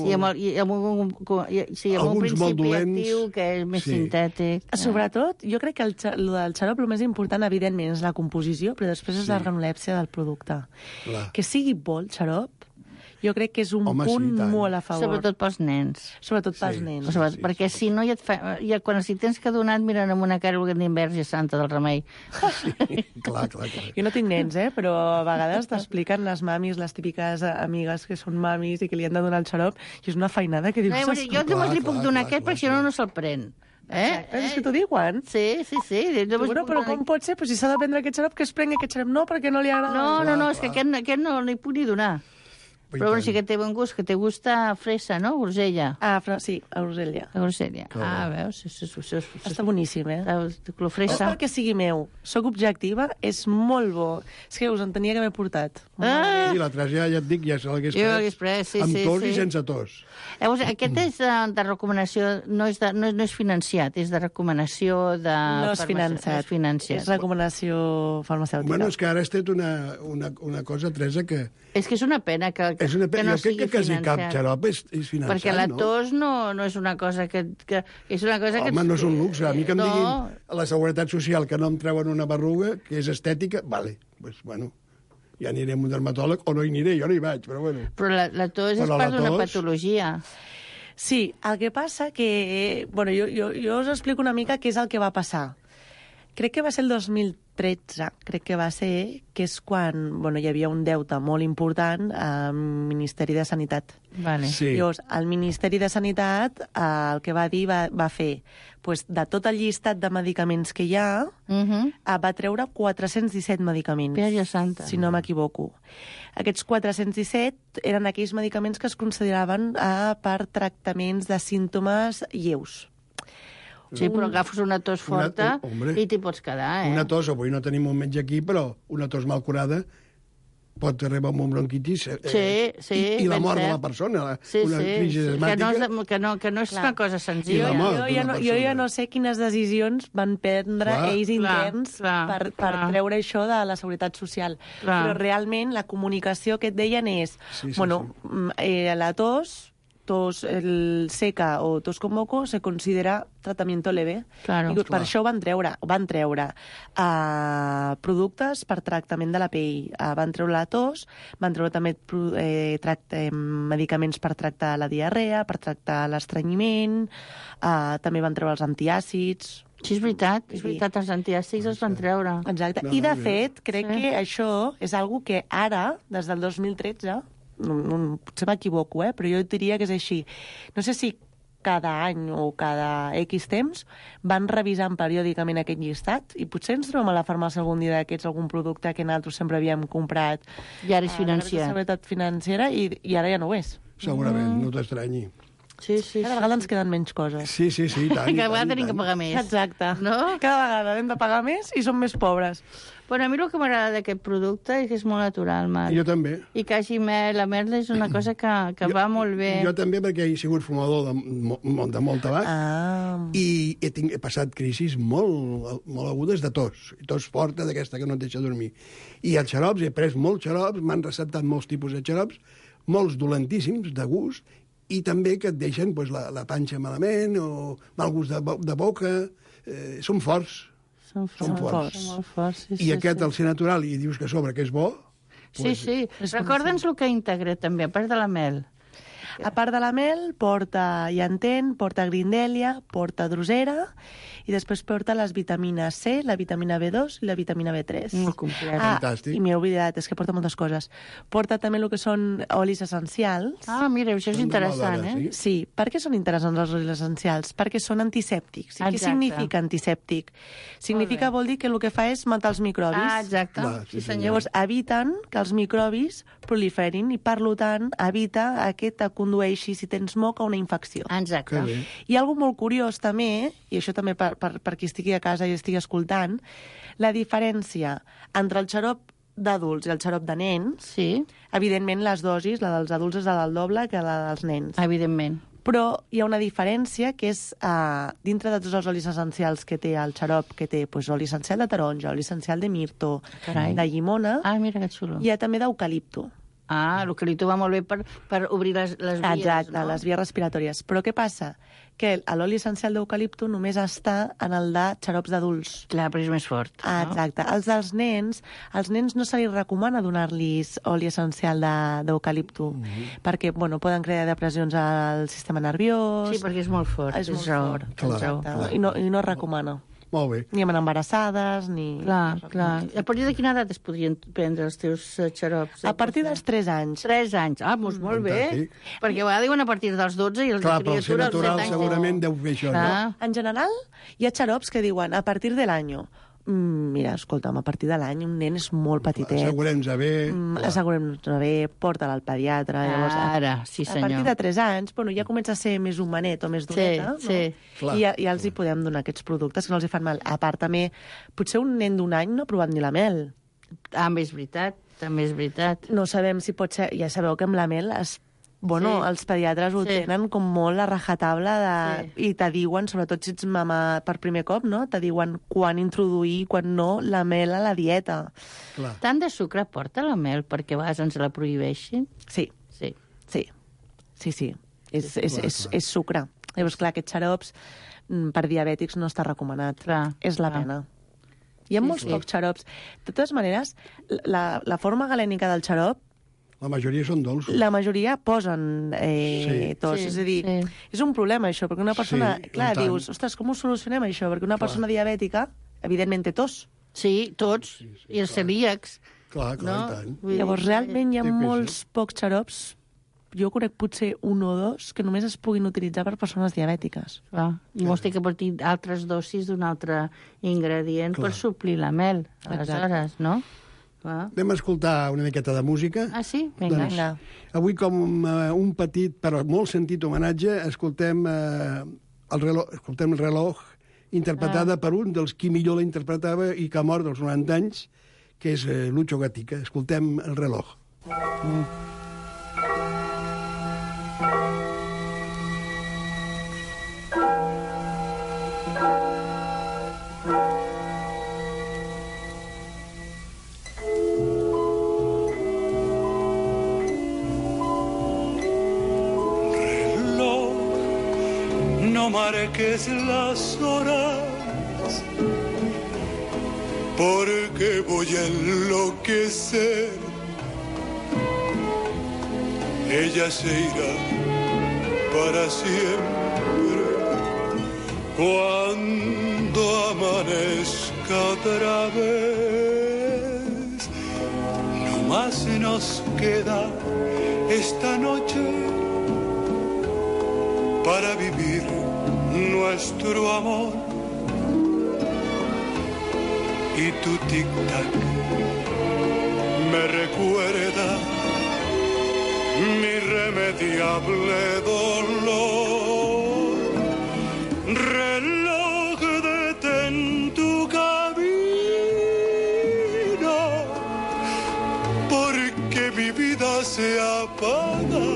Sí, amb un Alguns principi molt dolents. actiu que és més Sí. sintètic. Sobretot, jo crec que el del xarop el més important, evidentment, és la composició, però després és la granulèpsia del producte. Clar. Que sigui bo el xarop, jo crec que és un Home, sí, punt tant. molt a favor. Sobretot pels nens. Sobretot pels Sí. nens. Sobretot, perquè si no, ja quan si tens que donar et miren amb una cara que Verge Santa del Remei. Clar. Jo no tinc nens, però a vegades t'expliquen les mamis, les típiques amigues que són mamis i que li han de donar el xarop, i és una feinada que dius... Jo només li puc donar aquest perquè si no, no se'l pren. És que t'ho diuen. Sí. Bueno, però com pot ser? Però si s'ha de prendre aquest xarop, que es prengui aquest xarop. No, perquè no li agrada. No, és que aquest no li puc ni donar. Però bueno, sí que té bon gust, que té gust a fresa, no? Grosella. Sí, a grosella. Veus? Està boníssim, Clofresa. No perquè sigui meu. Soc objectiva, és molt bo. És que us en tenia que haver portat. I l'altre ja et dic, ja se l'hagués pres. Sí, amb tos i sense tos. Llavors, aquest és de recomanació, no és financiat, és de recomanació de... No és financiat. És recomanació farmacèutica. Bueno, és que ara has tret una cosa, Teresa, que... És que és una pena que no sigui financiat. Jo crec que quasi cap xarop és financiat, perquè la tos no és una cosa que és una cosa que... Home, no és un luxe. A mi que em diguin a la Seguretat Social que no em treuen una berruga, que és estètica, vale, pues bueno, ja aniré a un dermatòleg, o no hi aniré, jo no hi vaig, però bueno. Però la tos és part d'una patologia. Sí, el que passa que... Bueno, jo us explico una mica què és el que va passar. Crec que va ser el 2013, que és quan hi havia un deute molt important al Ministeri de Sanitat. Vale. Sí. Llavors, el Ministeri de Sanitat el que va dir va fer, de tot el llistat de medicaments que hi ha, va treure 417 medicaments. Pere Santa. Si no m'equivoco. Aquests 417 eren aquells medicaments que es consideraven per tractaments de símptomes lleus. Sí, però agafes una tos forta i t'hi pots quedar, Una tos, avui no tenim un metge aquí, però una tos mal curada pot arribar amb un bronquitis i la mort de la persona, una crisi asmàtica. Que no és una cosa senzilla. Jo ja no sé quines decisions van prendre ells interns per treure això de la Seguretat Social. Però realment la comunicació que et deien és, la tos seca o tos con moco se considera tratamiento leve. Claro. I per això van treure productes per tractament de la pell, van treure la tos, van treure també medicaments per tractar la diarrea, per tractar l'estrenyiment, també van treure els antiàcids. Sí, és veritat, els antiàcids els van treure. Exacte. I, de fet, crec que això és algo que ara, des del 2013, potser m'equivoco, però jo diria que és així. No sé si cada any o cada X temps van revisant periòdicament aquest llistat i potser ens trobem a la farmàcia algun dia d'aquests algun producte que nosaltres sempre havíem comprat. I ara és financier. La seguretat financera i ara ja no ho és. Segurament, no t'estranyi. Sí. Cada vegada ens queden menys coses. Sí, tant. Cada vegada tenim que pagar més. Exacte. No? Cada vegada hem de pagar més i som més pobres. Bueno, a mi el que m'agrada d'aquest producte és que és molt natural, Marc. Jo també. I que hagi mel, la mel és una cosa que va molt bé. Jo també, perquè he sigut fumador de molt tabac i he passat crisis molt agudes de tos forta, d'aquesta que no et deixa dormir. I els xarops, he pres molts xarops, m'han receptat molts tipus de xarops, molts dolentíssims, de gust, i també que et deixen la panxa malament o mal gust de boca. Són forts. Són forts. I aquest, al ser natural, i dius que a sobre que és bo... Sí. Recorda'ns el que integra, també, a part de la mel. A part de la mel, porta llantén, porta grindèlia, porta drosera, i després porta les vitamines C, la vitamina B2 i la vitamina B3. Molt complet. Fantàstic. I m'he oblidat, és que porta moltes coses. Porta també el que són olis essencials. Mira, això és interessant, Sí, per què són interessants els olis essencials? Perquè són antisèptics. I què significa antisèptic? Significa, vol dir que el que fa és matar els microbis. Exacte. Sí, Llavors, eviten que els microbis proliferin i, per tant, evita que te condueixi, si tens moc, a una infecció. Exacte. I algo molt curiós també, i això també per qui estigui a casa i estigui escoltant, la diferència entre el xarop d'adults i el xarop de nens, evidentment les dosis, la dels adults és la del doble que la dels nens. Evidentment. Però hi ha una diferència que és dintre de tots els olis essencials que té el xarop, que té oli essencial de taronja, oli essencial de mirto, de llimona, mira que xulo. Hi ha també d'eucalipto. L'eucalipto va molt bé per obrir les vies, Exacte, les vies respiratòries. Però què passa? Que l'oli essencial d'eucalipto només està en el de xarops d'adults. Clar, però és més fort. Exacte. Els dels nens, als nens no se li recomana donar-los oli essencial d'eucalipto, perquè, poden crear depressions al sistema nerviós... Sí, perquè és molt fort. És molt fort. Clar. I no es recomana. Molt bé. Ni amb embarassades, ni... Clar. A partir de quina edat es podrien prendre els teus xarops? A partir dels 3 anys. 3 anys. Ah, doncs molt bé. Fantàstic. Perquè a vegades diuen a partir dels 12 i els Clar, de però el ser criatura als 7 natural anys. segurament deu fer això, no? En general, hi ha xarops que diuen a partir de l'any. Mira, escolta'm, a partir de l'any un nen és molt petitet. Assegurem-nos bé. Assegurem-nos bé, porta-la al pediatre. Llavors, Ara, sí senyor. A partir de 3 anys, bueno, ja comença a ser més humanet o més doneta, Sí. no? I ja els hi podem donar aquests productes que no els hi fan mal. A part, també, potser un nen d'un any no ha provat ni la mel. També és veritat. No sabem si pot ser... Ja sabeu que amb la mel els pediatres ho tenen com molt a rajatabla i te diuen, sobretot si ets mama per primer cop, no? Te diuen quan introduir, quan no, la mel a la dieta. Clar. Tant de sucre porta la mel perquè a vegades ens la prohibeixin? Sí. És sucre. Llavors, clar, aquests xarops per diabètics no està recomanat. És la pena. Hi ha molts pocs xarops. De totes maneres, la forma galènica del xarop, la majoria són dolços. La majoria posen tos. És a dir, és un problema, això, perquè una persona... Clar, dius, ostres, com ho solucionem, això? Perquè una persona diabètica, evidentment, té tos. Sí, tots. I els celíacs. Clar, i tant. Llavors, realment hi ha molts pocs xarops, jo conec potser 1 o 2, que només es puguin utilitzar per persones diabètiques. I vols dir que portin altres dosis d'un altre ingredient per suplir la mel, aleshores, no? Anem a escoltar una miqueta de música. Ah, sí? Vinga. Avui, com un petit, però molt sentit homenatge, escoltem el reloj, interpretada per un dels qui millor la interpretava i que ha mort dels 90 anys, que és Lucho Gatica. Escoltem el reloj. No marques las horas, porque voy a enloquecer. Ella se irá para siempre cuando amanezca otra vez. No más nos queda esta noche para vivir nuestro amor. Y tu tic-tac me recuerda mi irremediable dolor. Reloj, detén tu camino, porque mi vida se apaga.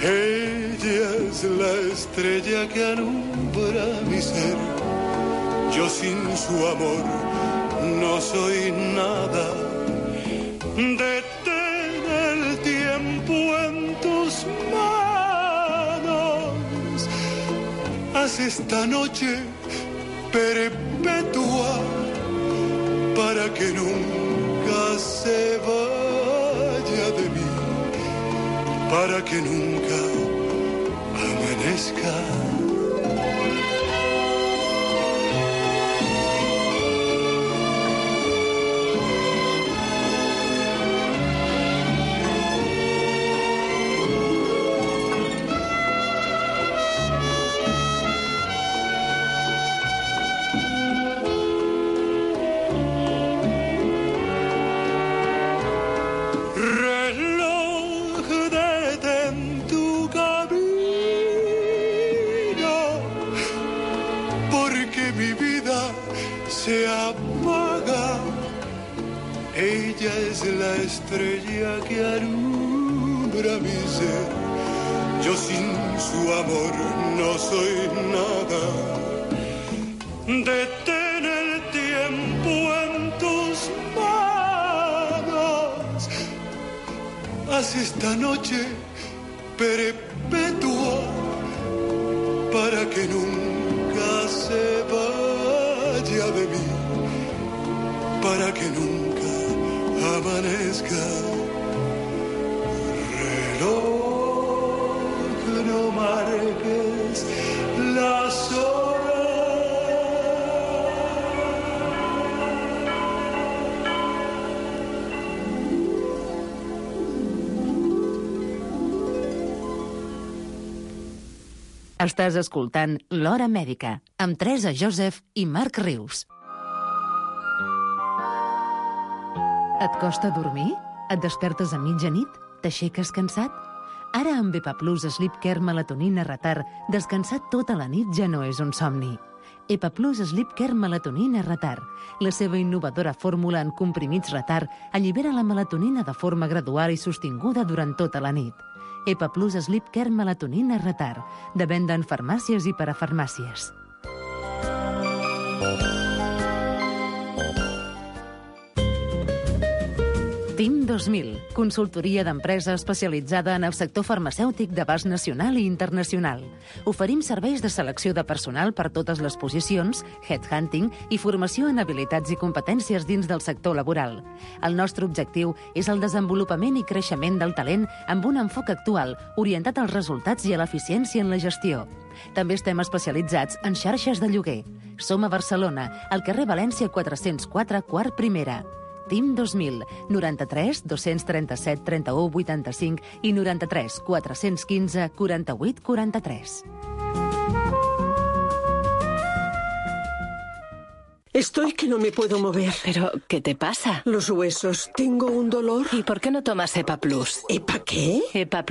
Ella es la estrella que alumbra mi ser. Yo sin su amor no soy nada. Detén el tiempo en tus manos. Haz esta noche perpetua para que nunca se vaya de mí, para que nunca amanezca. Se apaga. Ella es la estrella que alumbra mi ser. Yo sin su amor no soy nada. Detén el tiempo en tus manos. Haz esta noche perpetua para que nunca se vaya de mí, para que nunca amanezca. Reloj, no marques las horas, Estàs escoltant L'Hora Mèdica, amb Teresa Joseph i Marc Rius. Et costa dormir? Et despertes a mitjanit? T'aixeques cansat? Ara amb EPA+ Sleep Care Melatonina Retard, descansar tota la nit ja no és un somni. EPA+ Sleep Care Melatonina Retard. La seva innovadora fórmula en comprimits retard allibera la melatonina de forma gradual i sostinguda durant tota la nit. EPA+ Sleep Care Melatonina Retard. De venda en farmàcies i parafarmàcies. TIM 2000, consultoria d'empresa especialitzada en el sector farmacèutic d'abast nacional i internacional. Oferim serveis de selecció de personal per totes les posicions, headhunting i formació en habilitats i competències dins del sector laboral. El nostre objectiu és el desenvolupament i creixement del talent amb un enfoc actual, orientat als resultats i a l'eficiència en la gestió. També estem especialitzats en xarxes de lloguer. Som a Barcelona, al carrer València 404, quart primera. TIM 2000, 93 237 31 85 i 93 415 48 43. Estoy que no me puedo mover. ¿Pero qué te pasa? Los huesos. Tengo un dolor. ¿Y por qué no tomas EPA+? ¿EPA qué? EPA+.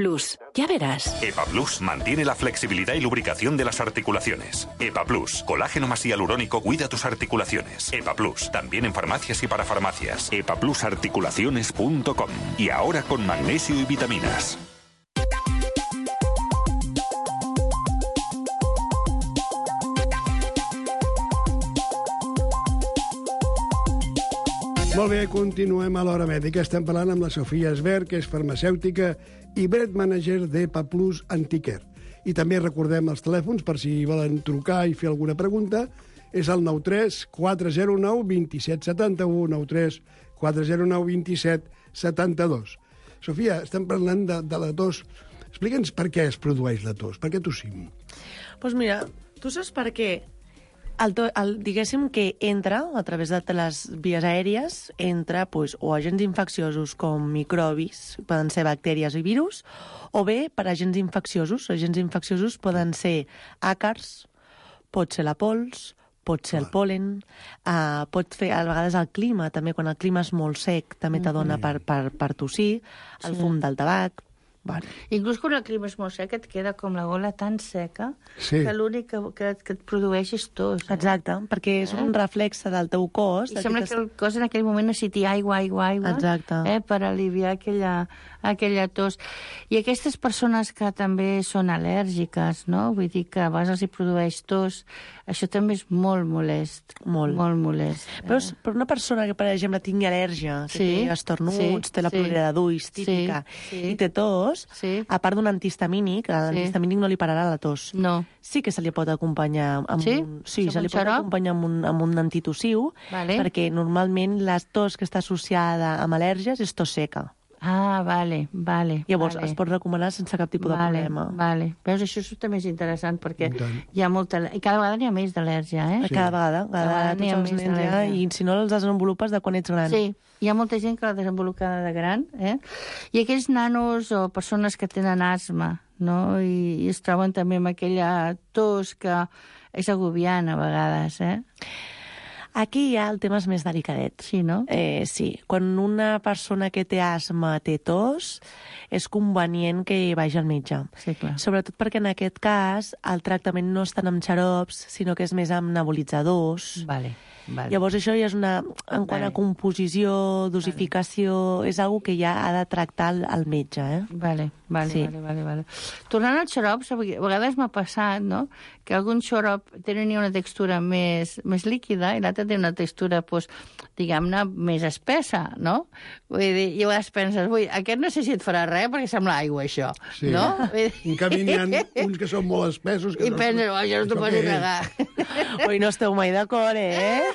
Ya verás. EPA+ mantiene la flexibilidad y lubricación de las articulaciones. EPA+, colágeno más hialurónico, cuida tus articulaciones. EPA+, también en farmacias y parafarmacias. EPA+articulaciones.com. Y ahora con magnesio y vitaminas. Molt bé, continuem a l'Hora Mèdica. Estem parlant amb la Sofia Esbert, que és farmacèutica i brand manager d'EPA+ Anticare. I també recordem els telèfons per si volen trucar i fer alguna pregunta. És el 93 409 27 71, 93 409 27 72. Sofia, estem parlant de la tos. Explica'ns per què es produeix la tos, per què tossim? Doncs mira, tu saps per què? Diguéssim que entra, a través de les vies aèries, entra o agents infecciosos com microbis, poden ser bactèries i virus, o bé per agents infecciosos. Agents infecciosos poden ser àcars, pot ser la pols, pot ser el pol·len, pot fer a vegades el clima, també quan el clima és molt sec, també t'adona per tossir, el fum del tabac. Vale. Inclús quan el clima és molt sec et queda com la gola tan seca que l'únic que et produeix és tos. Exacte, perquè és un reflexe del teu cos. I sembla que el cos en aquell moment necessiti aigua, per aliviar aquella tos. I aquestes persones que també són al·lèrgiques, no? Vull dir que a vegades els hi produeix tos, això també és molt molest. Molt molest. Però per una persona que, per exemple, tingui al·lèrgia, que té estornuts, té la plorera d'ulls típica, i té tos, a part d'un antihistamínic, l'antihistamínic no li pararà la tos. No. Sí que se li pot acompanyar amb amb un antitussiu, perquè normalment la tos que està associada amb al·lèrgies és tos seca. Ah, vale. Llavors, es pot recomanar sense cap tipus de problema. Vale. Veus, això també és interessant, perquè hi ha molta... I cada vegada n'hi ha més d'al·lèrgia, Cada vegada tots els nens hi ha, i si no els desenvolupes de quan ets gran. Sí, hi ha molta gent que l'ha desenvolupada de gran, I aquells nanos o persones que tenen asma, no? I es troben també amb aquella tos que és agobiant a vegades, Aquí ja el tema és més delicadet. Sí, no? Sí. Quan una persona que té asma té tos, és convenient que vagi al metge. Sí, clar. Sobretot perquè en aquest cas el tractament no és tant amb xarops, sinó que és més amb nebulitzadors. Vale. Llavors això ja és en quant a composició, dosificació, és una que ja ha de tractar el metge, Vale. Tornant als xarops, a vegades m'ha passat, no?, que algun xarop tenia una textura més líquida i l'altre té una textura, diguem-ne, més espessa, no? Vull dir, i a vegades penses, aquest no sé si et farà res perquè sembla aigua, això, no? En canvi, n'hi ha uns que són molt espessos. I penses, això no t'ho pots negar. Ui, no esteu mai d'acord,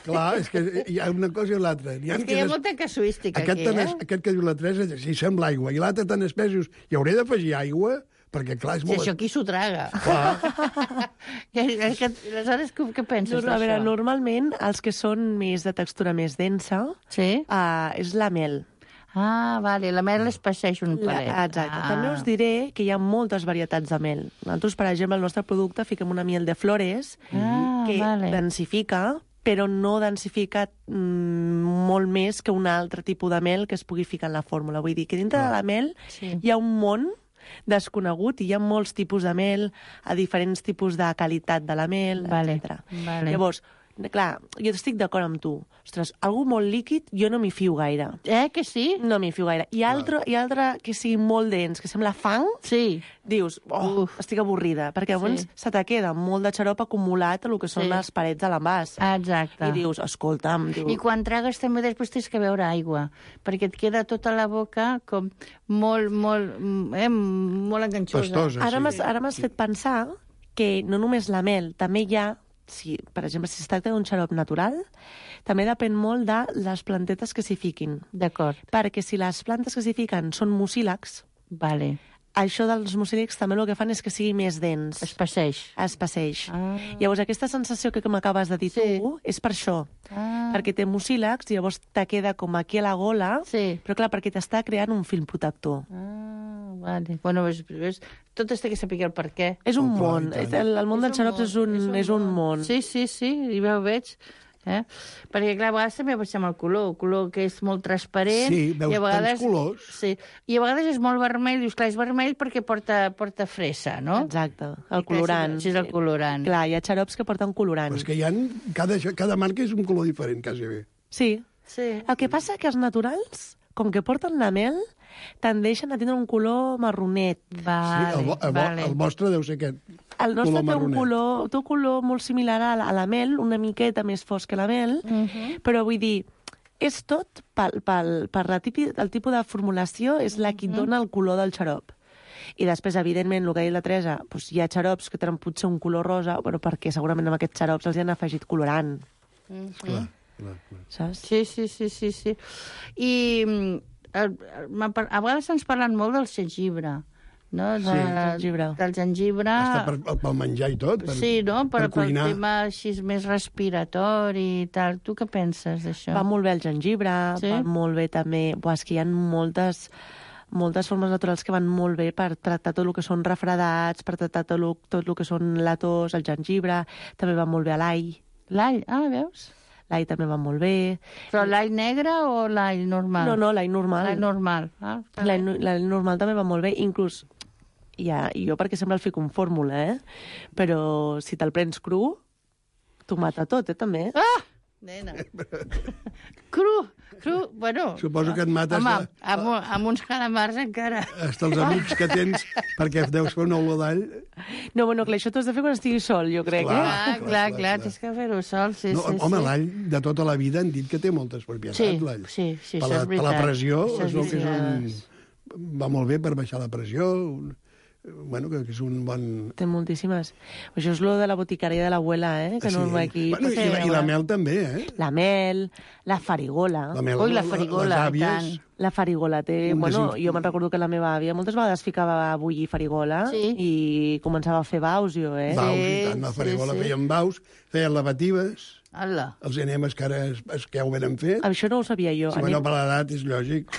Clar, és que hi ha una cosa i l'altra. És que hi ha molta casuística aquí, Aquest que diu la Teresa, si sembla aigua, i l'altre tan espessos, i hauré d'afegir aigua, perquè clar, és molt... Si això qui s'ho traga. Aleshores, què penses d'això? A veure, normalment, els que són més de textura més densa és la mel. Ah, vale, la mel es passeix un palet. Exacte. També us diré que hi ha moltes varietats de mel. Nosaltres, per exemple, al nostre producte fiquem una miel de flores que densifica, però no densifica molt més que un altre tipus de mel que es pugui ficar en la fórmula. Vull dir que dintre de la mel hi ha un món desconegut i hi ha molts tipus de mel, a diferents tipus de qualitat de la mel, etc. Llavors, clar, jo estic d'acord amb tu. Ostres, algú molt líquid, jo no m'hi fio gaire. Que sí? No m'hi fio gaire. I altre que sigui molt dens, que sembla fang, dius, estic avorrida, perquè llavors se te queda molt de xarop acumulat a el que són les parets de l'envàs. Exacte. I dius, escolta'm... I quan tragues també després tens que beure aigua, perquè et queda tota la boca com molt enganxosa. Ara m'has fet pensar que no només la mel, també hi ha, per exemple, si es tracta d'un xarop natural, també depèn molt de les plantetes que s'hi fiquin. D'acord. Perquè si les plantes que s'hi fiquen són mucílags, això dels mucílags també el que fan és que sigui més dens. Es passeix. Llavors, aquesta sensació que m'acabes de dir tu és per això. Perquè té mucílags i llavors te queda com aquí a la gola, però clar, perquè t'està creant un film protector. Vale. Bueno, tot es té que saber el per què. És un món. El món dels xarops és un món. Sí, i ja ho veig. Perquè, clar, a vegades també passem el color que és molt transparent. Sí, veus tants colors. Sí, i a vegades és molt vermell, dius, clar, és vermell perquè porta fressa, no? Exacte, el colorant. Sí, és el colorant. Clar, hi ha xarops que porten colorant. Però és que hi ha... Cada marca és un color diferent, quasi bé. Sí. El que passa que els naturals, com que porten la mel, tendeixen a tindre un color marronet. El vostre deu ser aquest. El nostre té un color molt similar a la mel, una miqueta més fosc que la mel, però vull dir, és tot el tipus de formulació és la que dona el color del xarop. I després, evidentment, el que ha dit la Teresa, hi ha xarops que tenen potser un color rosa, perquè segurament amb aquests xarops els hi han afegit colorant. Clar. Saps? Sí. I a vegades ens parlen molt del jengibre, no? Del jengibre. Està pel menjar i tot, per cuinar. Pel tema així més respiratori i tal. Tu què penses d'això? Va molt bé el jengibre, va molt bé també... És que hi ha moltes formes naturals que van molt bé per tractar tot el que són refredats, per tractar tot el que són la tos, el jengibre, també va molt bé l'all. L'all, veus? L'all també va molt bé. Però l'all negre o l'all normal? No, l'all normal. L'all normal. L'all normal també va molt bé, inclús, jo perquè sempre el fico en fórmula, però si te'l prens cru, t'ho mata tot, també. Nena. Cru, bueno... Suposo que et mates... Home, amb uns calamars encara. Hasta els amics que tens, perquè deus fer una olor d'all... No, bueno, clar, això t'ho has de fer quan estiguis sol, jo crec. Clar, tens que fer-ho sol, sí. Home, l'all de tota la vida han dit que té moltes propietats, l'all. Sí, això és veritat. Per la pressió, va molt bé per baixar la pressió... Bueno, que és un bon... Té moltíssimes. Això és lo de la boticaria de l'abuela, que no va aquí. I la mel també, La mel, la farigola. La farigola, les àvies. La farigola té... Bueno, jo me'n recordo que la meva àvia moltes vegades ficava a bullir farigola i començava a fer baus, jo, Baus, i tant. La farigola feien baus, feien lavatives... Hola. Els enemes que ara que ja ho venen fet. Això no ho sabia jo. Sí, bueno, per l'edat és lògic.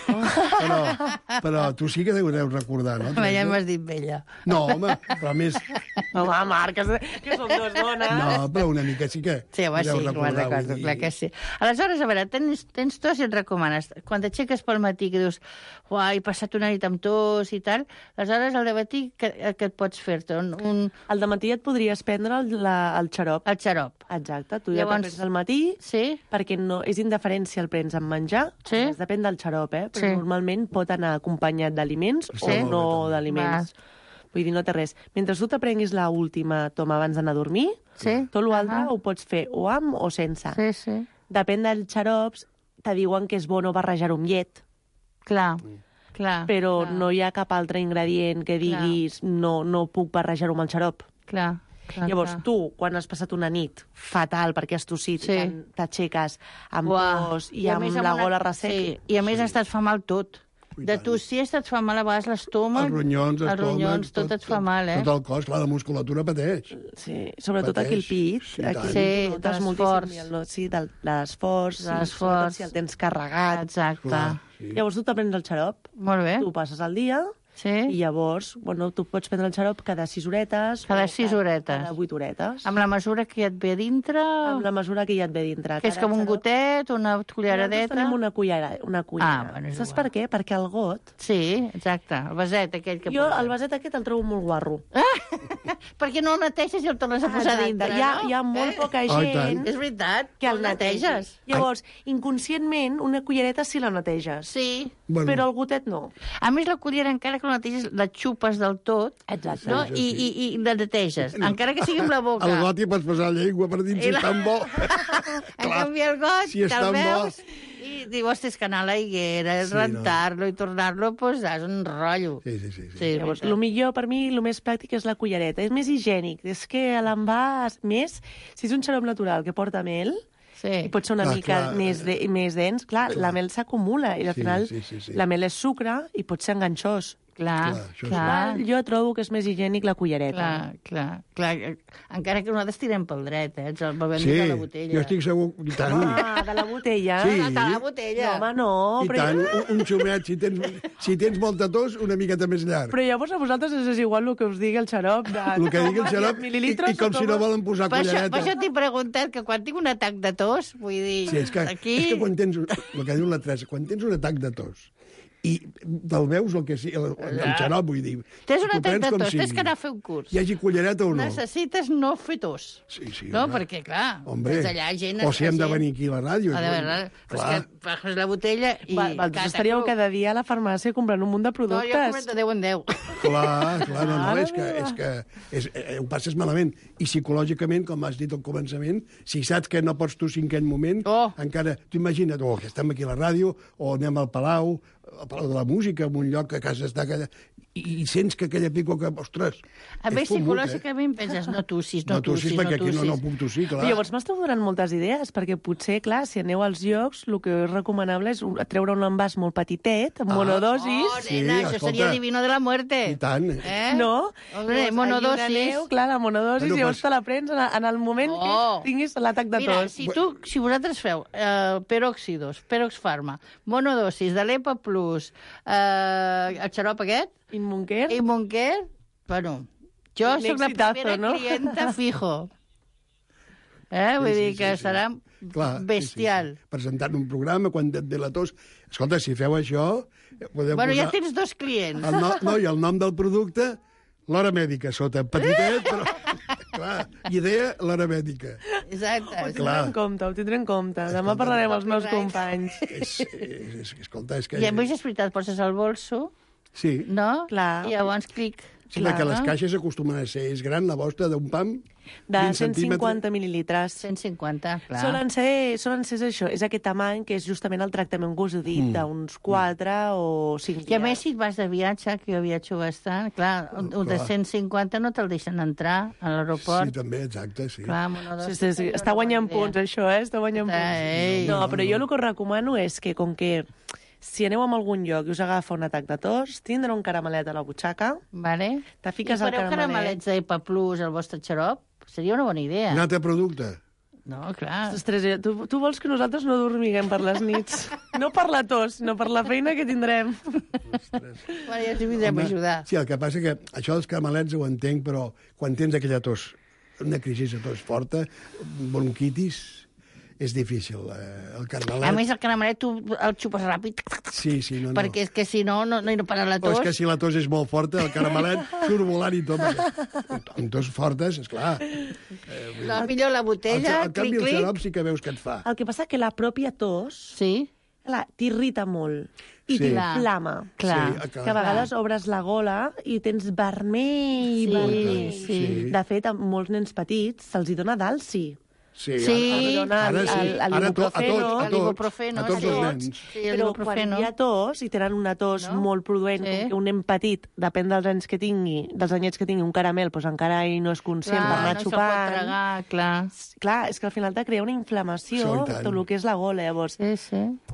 Però tu sí que deus recordar, no? Ja m'has dit vella. No, home, però més... Home, Marc, que som dos dones. No, però una mica sí que... Sí, home, sí, me'n recordo, clar que sí. Aleshores, a veure, tens tos i et recomanes. Quan t'aixeques pel matí que dius, he passat una nit amb tos i tal, aleshores al dematí què et pots fer-te? Al dematí et podries prendre el xarop. El xarop. Exacte, tu ja prens al matí, perquè no, és indiferència el prens amb menjar, depèn del xarop, però normalment pot anar acompanyat d'aliments o no d'aliments. Vull dir, no té res. Mentre tu t'aprenguis l'última toma abans d'anar a dormir, tot l'altre ho pots fer o amb o sense. Depèn dels xarops, te diuen que és bo no barrejar-ho amb llet. Clar. Però no hi ha cap altre ingredient que diguis no puc barrejar-ho amb el xarop. Clar. Llavors, tu, quan has passat una nit fatal perquè has tossit, t'aixeques amb tos i amb la gola resseca... I a més ha estat fa mal tot. De tu siesta et fa mal a vegades l'estómac. Els ronyons, tot et fa mal, Tot el cos, clar, la musculatura pateix. Sí, sobretot aquí el pit. Sí, de l'esforç. Sí, de l'esforç. Sobretot si el tens carregat. Exacte. Llavors tu te prens el xarop. Molt bé. Tu passes el dia. Sí. I llavors, tu pots prendre el xarop cada 6 horetes. Cada 6 horetes. Cada 8 horetes. Amb la mesura que ja et ve dintre? Amb la mesura que ja et ve dintre. Que és com un gotet, una culleradeta? Nosaltres tenim una cullera. Bueno, saps per què? Perquè el got... Sí, exacte, el vaset aquell que... Jo el vaset aquest el trobo molt guarro. Perquè no el neteges i el tornes a posar dintre, no? Hi ha molt poca gent... És veritat, que el neteges. Llavors, inconscientment, una cullereta sí la neteges. Sí. Però el gotet no. A més, la cullera, encara que la neteges, la xupes del tot. Exacte. No? I la neteges, encara que sigui amb la boca. El got hi pots posar la llengua per dins, si és tan bo. En canvi, el got, si te'l veus... I diu, ostres, que anar a la higuera, rentar-lo i tornar-lo a posar, és un rotllo. Sí. Llavors, el millor per mi, el més pràctic és la cullereta. És més higiènic. És que l'envàs, més, si és un xarop natural que porta mel, i pot ser una mica més dens, la mel s'acumula i al final la mel és sucre i pot ser enganxós. Clar. Jo trobo que és més higiènic la cullereta. Clar. Encara que nosaltres tirem pel dret, el bevem de la botella. Jo estic segur... I tant. De la botella? Sí. De la botella. No, home, no. I tant, un xumet, si tens molta tos, una miqueta més llarg. Però llavors a vosaltres és igual el que us digui el xarop. El que digui el xarop, i com si no volen posar cullereta. Per això t'he preguntat que quan tinc un atac de tos, vull dir... Sí, és que quan tens, el que diu la Teresa, quan tens un atac de tos, i te'l veus el que sigui, el xarop, vull dir. Tens un atac de tos, tens que anar a fer un curs. Hi hagi cullereta o no. Necessites no fer tos. Sí, no, perquè, clar, tens allà gent... O si hem de venir aquí a la ràdio. Però és que agafes la botella i... Estaríeu cada dia a la farmàcia comprant un munt de productes. No, jo compro de 10 en 10. Clar, no, és que ho passes malament. I psicològicament, com has dit al començament, si saps que no pots tossir en aquell moment, encara, tu imagina't, que estem aquí a la ràdio, o anem al Palau de la Música, en un lloc que a casa està allà, i sents que aquella pico que, ostres, a més, psicològicament penses, no tossis. No tossis, perquè aquí no puc tossir, clar. Però llavors m'esteu donant moltes idees, perquè potser, clar, si aneu als llocs, el que és recomanable és treure un envàs molt petitet, amb monodosis. Oh, nena, això seria divino de la muerte. I tant. No? Hombre, monodosis. Clar, la monodosis, llavors te la prens en el moment que tinguis l'atac de tos. Mira, si vosaltres feu peróxidos, Peroxfarma, monodosis de l'EPA Plus, el xarop aquest, Immunker, bueno, jo soc la primera clienta fijo. Vull dir que serà bestial. Presentant un programa, quan et ve la tos... Escolta, si feu això... Bueno, ja tens 2 clients. No, i el nom del producte, l'hora mèdica, sota petitet, però... Clar, idea, l'hora mèdica. Exacte. Ho tindré en compte. Demà parlarem amb els meus companys. Escolta, és que... I a més és veritat, poses el bolso... Sí. No? Clar. I llavors clic. Sí, perquè les caixes acostumen a ser... És gran la vostra d'un pam... De 150 mil·lilitres. 150, clar. Solen ser això, és aquest tamany que és justament el tractament que us he dit, d'uns 4 o 5 dies. I a més, si et vas de viatge, que jo viatjo bastant, clar, un de 150 no te'l deixen entrar a l'aeroport. Sí, també, exacte, sí. Clar, està guanyant punts, això, està guanyant punts. No, però jo el que us recomano és que, com que si aneu a algun lloc i us agafa un atac de tos, tindre un caramelet a la butxaca, te fiques el caramelet... I fareu caramelets d'EPA Plus al vostre xarop? Seria una bona idea. Un altre producte. No, clar. Ostres, tu vols que nosaltres no dormiguem per les nits. No per la tos, no per la feina que tindrem. Bueno, ja t'hi vindrem a ajudar. Sí, el que passa que això dels caramelets ho entenc, però quan tens aquella tos, una crisi de tos forta, bronquitis... És difícil, el caramelet... A més, el caramelet tu el xupes ràpid. Sí, no. Perquè és que si no para la tos... O és que si la tos és molt forta, el caramelet surt volant i tot. Amb tos fortes, esclar. No, millor la botella, en canvi, el xarop sí que veus que et fa. El que passa que la pròpia tos t'irrita molt. I t'inflama. Que a vegades obres la gola i tens vermell. Sí. De fet, a molts nens petits se'ls dona d'alci. Sí, ara sí. L'ibuprofeno. A tots els nens. Sí, però quan hi ha tos, i tenen una tos molt produent, com que un nen petit, depèn dels anys que tingui, dels anyets que tingui un caramel, doncs encara ell no és conscient per anar xupant. Clar, és que al final te crea una inflamació tot el que és la gola. Llavors,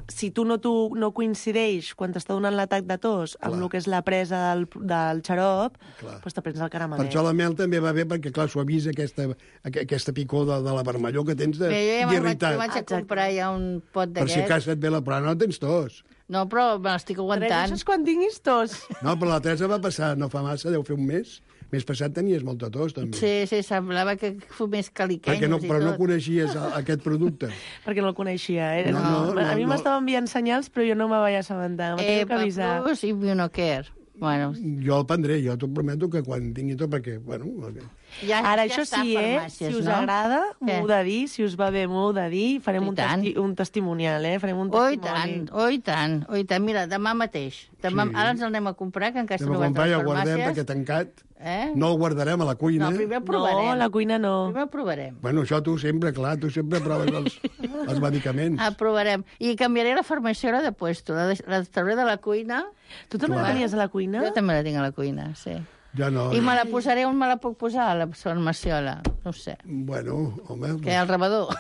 si tu no coincideix quan t'està donant l'atac de tos amb el que és la presa del xarop, doncs te prens el caramelet. Per això la mel també va bé, perquè, clar, suavisa aquesta picor de la vermellor que tens d'irritat. Jo vaig a comprar ja un pot d'aquest. Per si cas et ve però no tens tos. No, però me l'estic aguantant. Teresa, quan tinguis tos. No, però la Teresa va passar, no fa massa, deu fer un mes. Mes passat tenies molta tos, també. Sí, semblava que fumés caliquenyos però no coneixies aquest producte. Perquè no el coneixia, eh? A mi m'estava enviant senyals, però jo no me vaig assabentar. M'ho avisar. Plus i Immunocare. Bueno. Jo el prendré, jo t'ho prometo que quan tingui tot, perquè, Ara, això sí, si us agrada, m'ho heu de dir, si us va bé, m'ho heu de dir, farem un testimonial, Farem un testimoni. Oh, i tant. Mira, demà mateix. Ara ens el anem a comprar, que encara no va a les farmàcies. Ja ho guardem, perquè tancat. No el guardarem a la cuina. No, primer el provarem. No, a la cuina no. Primer el provarem. Bueno, això tu sempre proves els medicaments. El provarem. I canviaré la farmaciola de puesto. La trauré de la cuina. Tu també la tenies a la cuina? Jo també la tinc a la cuina, sí. Ja no. I me la posaré on me la puc posar, la farmaciola? No ho sé. Bueno, home... Què, al rebedor?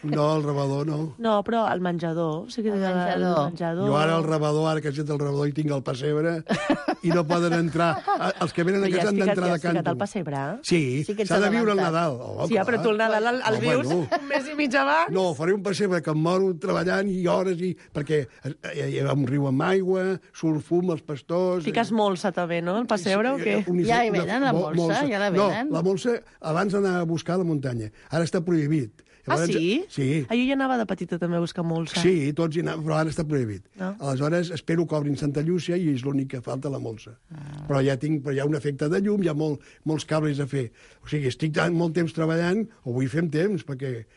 No, el rebedor no. No, però al menjador. Sí que el menjador. Jo ara el rebedor, ara que he fet el rebedor i tinc el pessebre, i no poden entrar... Els que venen a casa han d'entrar de canto. Ja has ficat el pessebre? Sí, s'ha de viure el Nadal. Sí, però tu el Nadal el vius un mes i mig abans. No, faré un pessebre que em moro treballant i hores, perquè hi ha un riu amb aigua, surt fum, els pastors... Fiques molsa també, no, el pessebre, o què? Ja hi venen la molsa, ja la venen. No, la molsa abans d'anar a buscar a la muntanya. Ara està prohibit. Llavors, sí? Sí. Jo ja anava de petita també a buscar molsa. Sí, tots hi anàvem, però ara està prohibit. No? Aleshores, espero que obrin Santa Llúcia i és l'únic que falta, la molsa. Però ja hi ha un efecte de llum, hi ha molts cables a fer. O sigui, estic molt temps treballant, o vull fer temps, perquè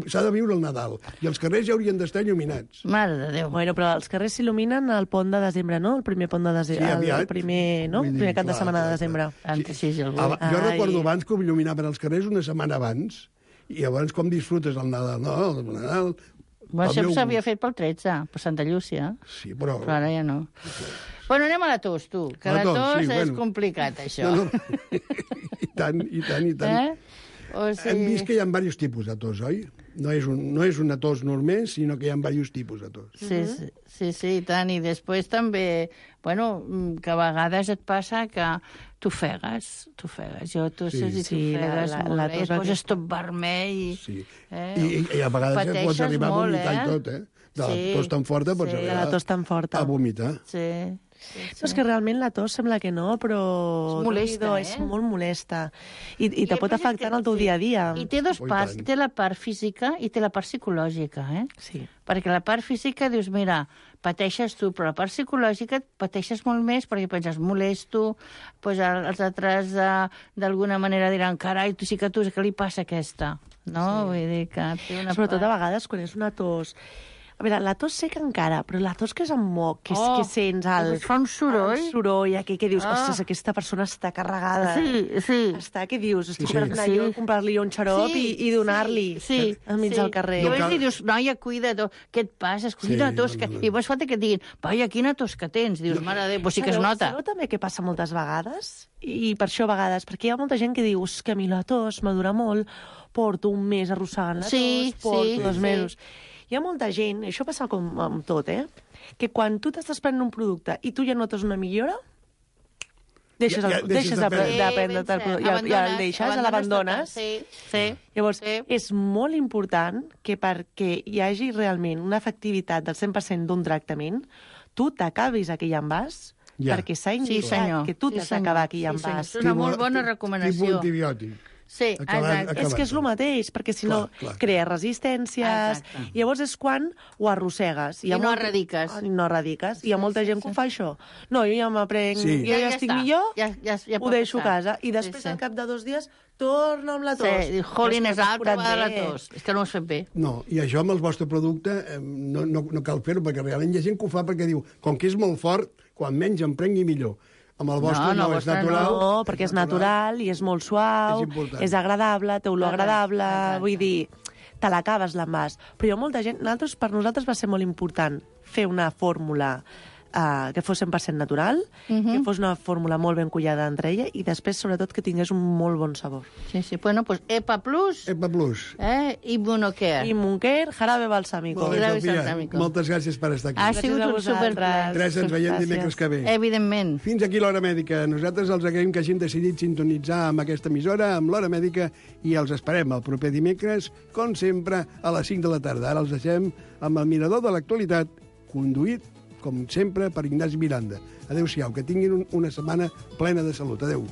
s'ha de viure el Nadal. I els carrers ja haurien d'estar il·luminats. Mare de Déu. Bueno, però els carrers s'il·luminen al pont de desembre, no? El primer pont de desembre. Sí, aviat. El primer cap de setmana de desembre. Sí. Jo recordo abans que ho il·luminaven els carrers una setmana abans, i llavors com disfrutes el Nadal? No, el Nadal... Això s'havia fet pel 13, per Santa Llúcia. Sí, però ara ja no. Bueno, anem a la tos, tu, que la tos és complicat, això. I tant. Hem vist que hi ha diversos tipus de tos, oi? No és una tos normal, sinó que hi ha diversos tipus de tos. Sí, i tant. I després també, bueno, que a vegades et passa que t'ofegues. Jo tosses i t'ofegues molt bé. Et poses tot vermell. I a vegades pots arribar a vomitar i tot, De la tos tan forta pots arribar a vomitar. Sí. És que realment la tos sembla que no, però... És molesta, És molt molesta. I te pot afectar en el teu dia a dia. I té dues parts. Té la part física i té la part psicològica, Sí. Perquè la part física dius, mira, pateixes tu, però la part psicològica pateixes molt més perquè penses, molesto, doncs els altres d'alguna manera diran, carai, tu sí que què li passa a aquesta? No? Vull dir que té una Sobretot a vegades quan és una tos... A veure, la tos seca encara, però la tos que és amb moc, que sents fa un soroll. El soroll, que dius, ostres, aquesta persona està carregada. Sí. Què dius? Estic per anar jo a comprar-li un xarop i donar-li enmig del carrer. I dius, noia, cuida't, què et passa? Cuida la tos. I llavors falta que et diguin, vaja, quina tos que tens. Dius, mare de Déu, sí que es nota. Sabeu també què passa moltes vegades? I per això a vegades, perquè hi ha molta gent que diu, que a mi la tos m'adura molt, porto un mes arrossegant la tos, porto 2 mesos... Hi ha molta gent, això passa com amb tot, que quan tu t'estàs prenent un producte i tu ja notes una millora, deixes de prendre-te el producte, ja el deixes, l'abandones. Llavors, és molt important que perquè hi hagi realment una efectivitat del 100% d'un tractament, tu t'acabis aquell envàs, perquè s'ha indicat que tu t'has d'acabar aquell envàs. És una molt bona recomanació. Tipus antibiòtic. Sí, exacte. És que és el mateix, perquè si no crea resistències, i llavors és quan ho arrossegues. I no erradiques. No erradiques. Hi ha molta gent que ho fa això. No, jo ja m'aprenc, jo ja estic millor, ho deixo a casa. I després, al cap de 2 dies, torna amb la tos. Sí, jolín, és altra vegada la tos. És que no ho has fet bé. No, i això amb el vostre producte no cal fer-ho, perquè realment hi ha gent que ho fa perquè diu, com que és molt fort, quan menys em prengui millor. Amb el vostre no és natural. No, perquè és natural i és molt suau, és agradable, té olor agradable, vull dir, te l'acabes l'envàs. Però hi ha molta gent... Per nosaltres va ser molt important fer una fórmula que fos 100% natural, que fos una fórmula molt ben cullada entre ella i després, sobretot, que tingués un molt bon sabor. Sí, sí. Bueno, pues EPA Plus. EPA Plus. I Monocare. I Monocare, jarabe balsámico. Molt bé, Sofia. Moltes gràcies per estar aquí. Ha sigut un superplaer. Teresa, ens veiem dimecres que ve. Evidentment. Fins aquí l'Hora Mèdica. Nosaltres els agraïm que hagin decidit sintonitzar amb aquesta emissora, amb l'Hora Mèdica, i els esperem el proper dimecres, com sempre, a les 5 de la tarda. Ara els deixem amb el mirador de l'actualitat, conduït com sempre, per Ignasi Miranda. Adéu-siau, que tinguin una setmana plena de salut. Adéu.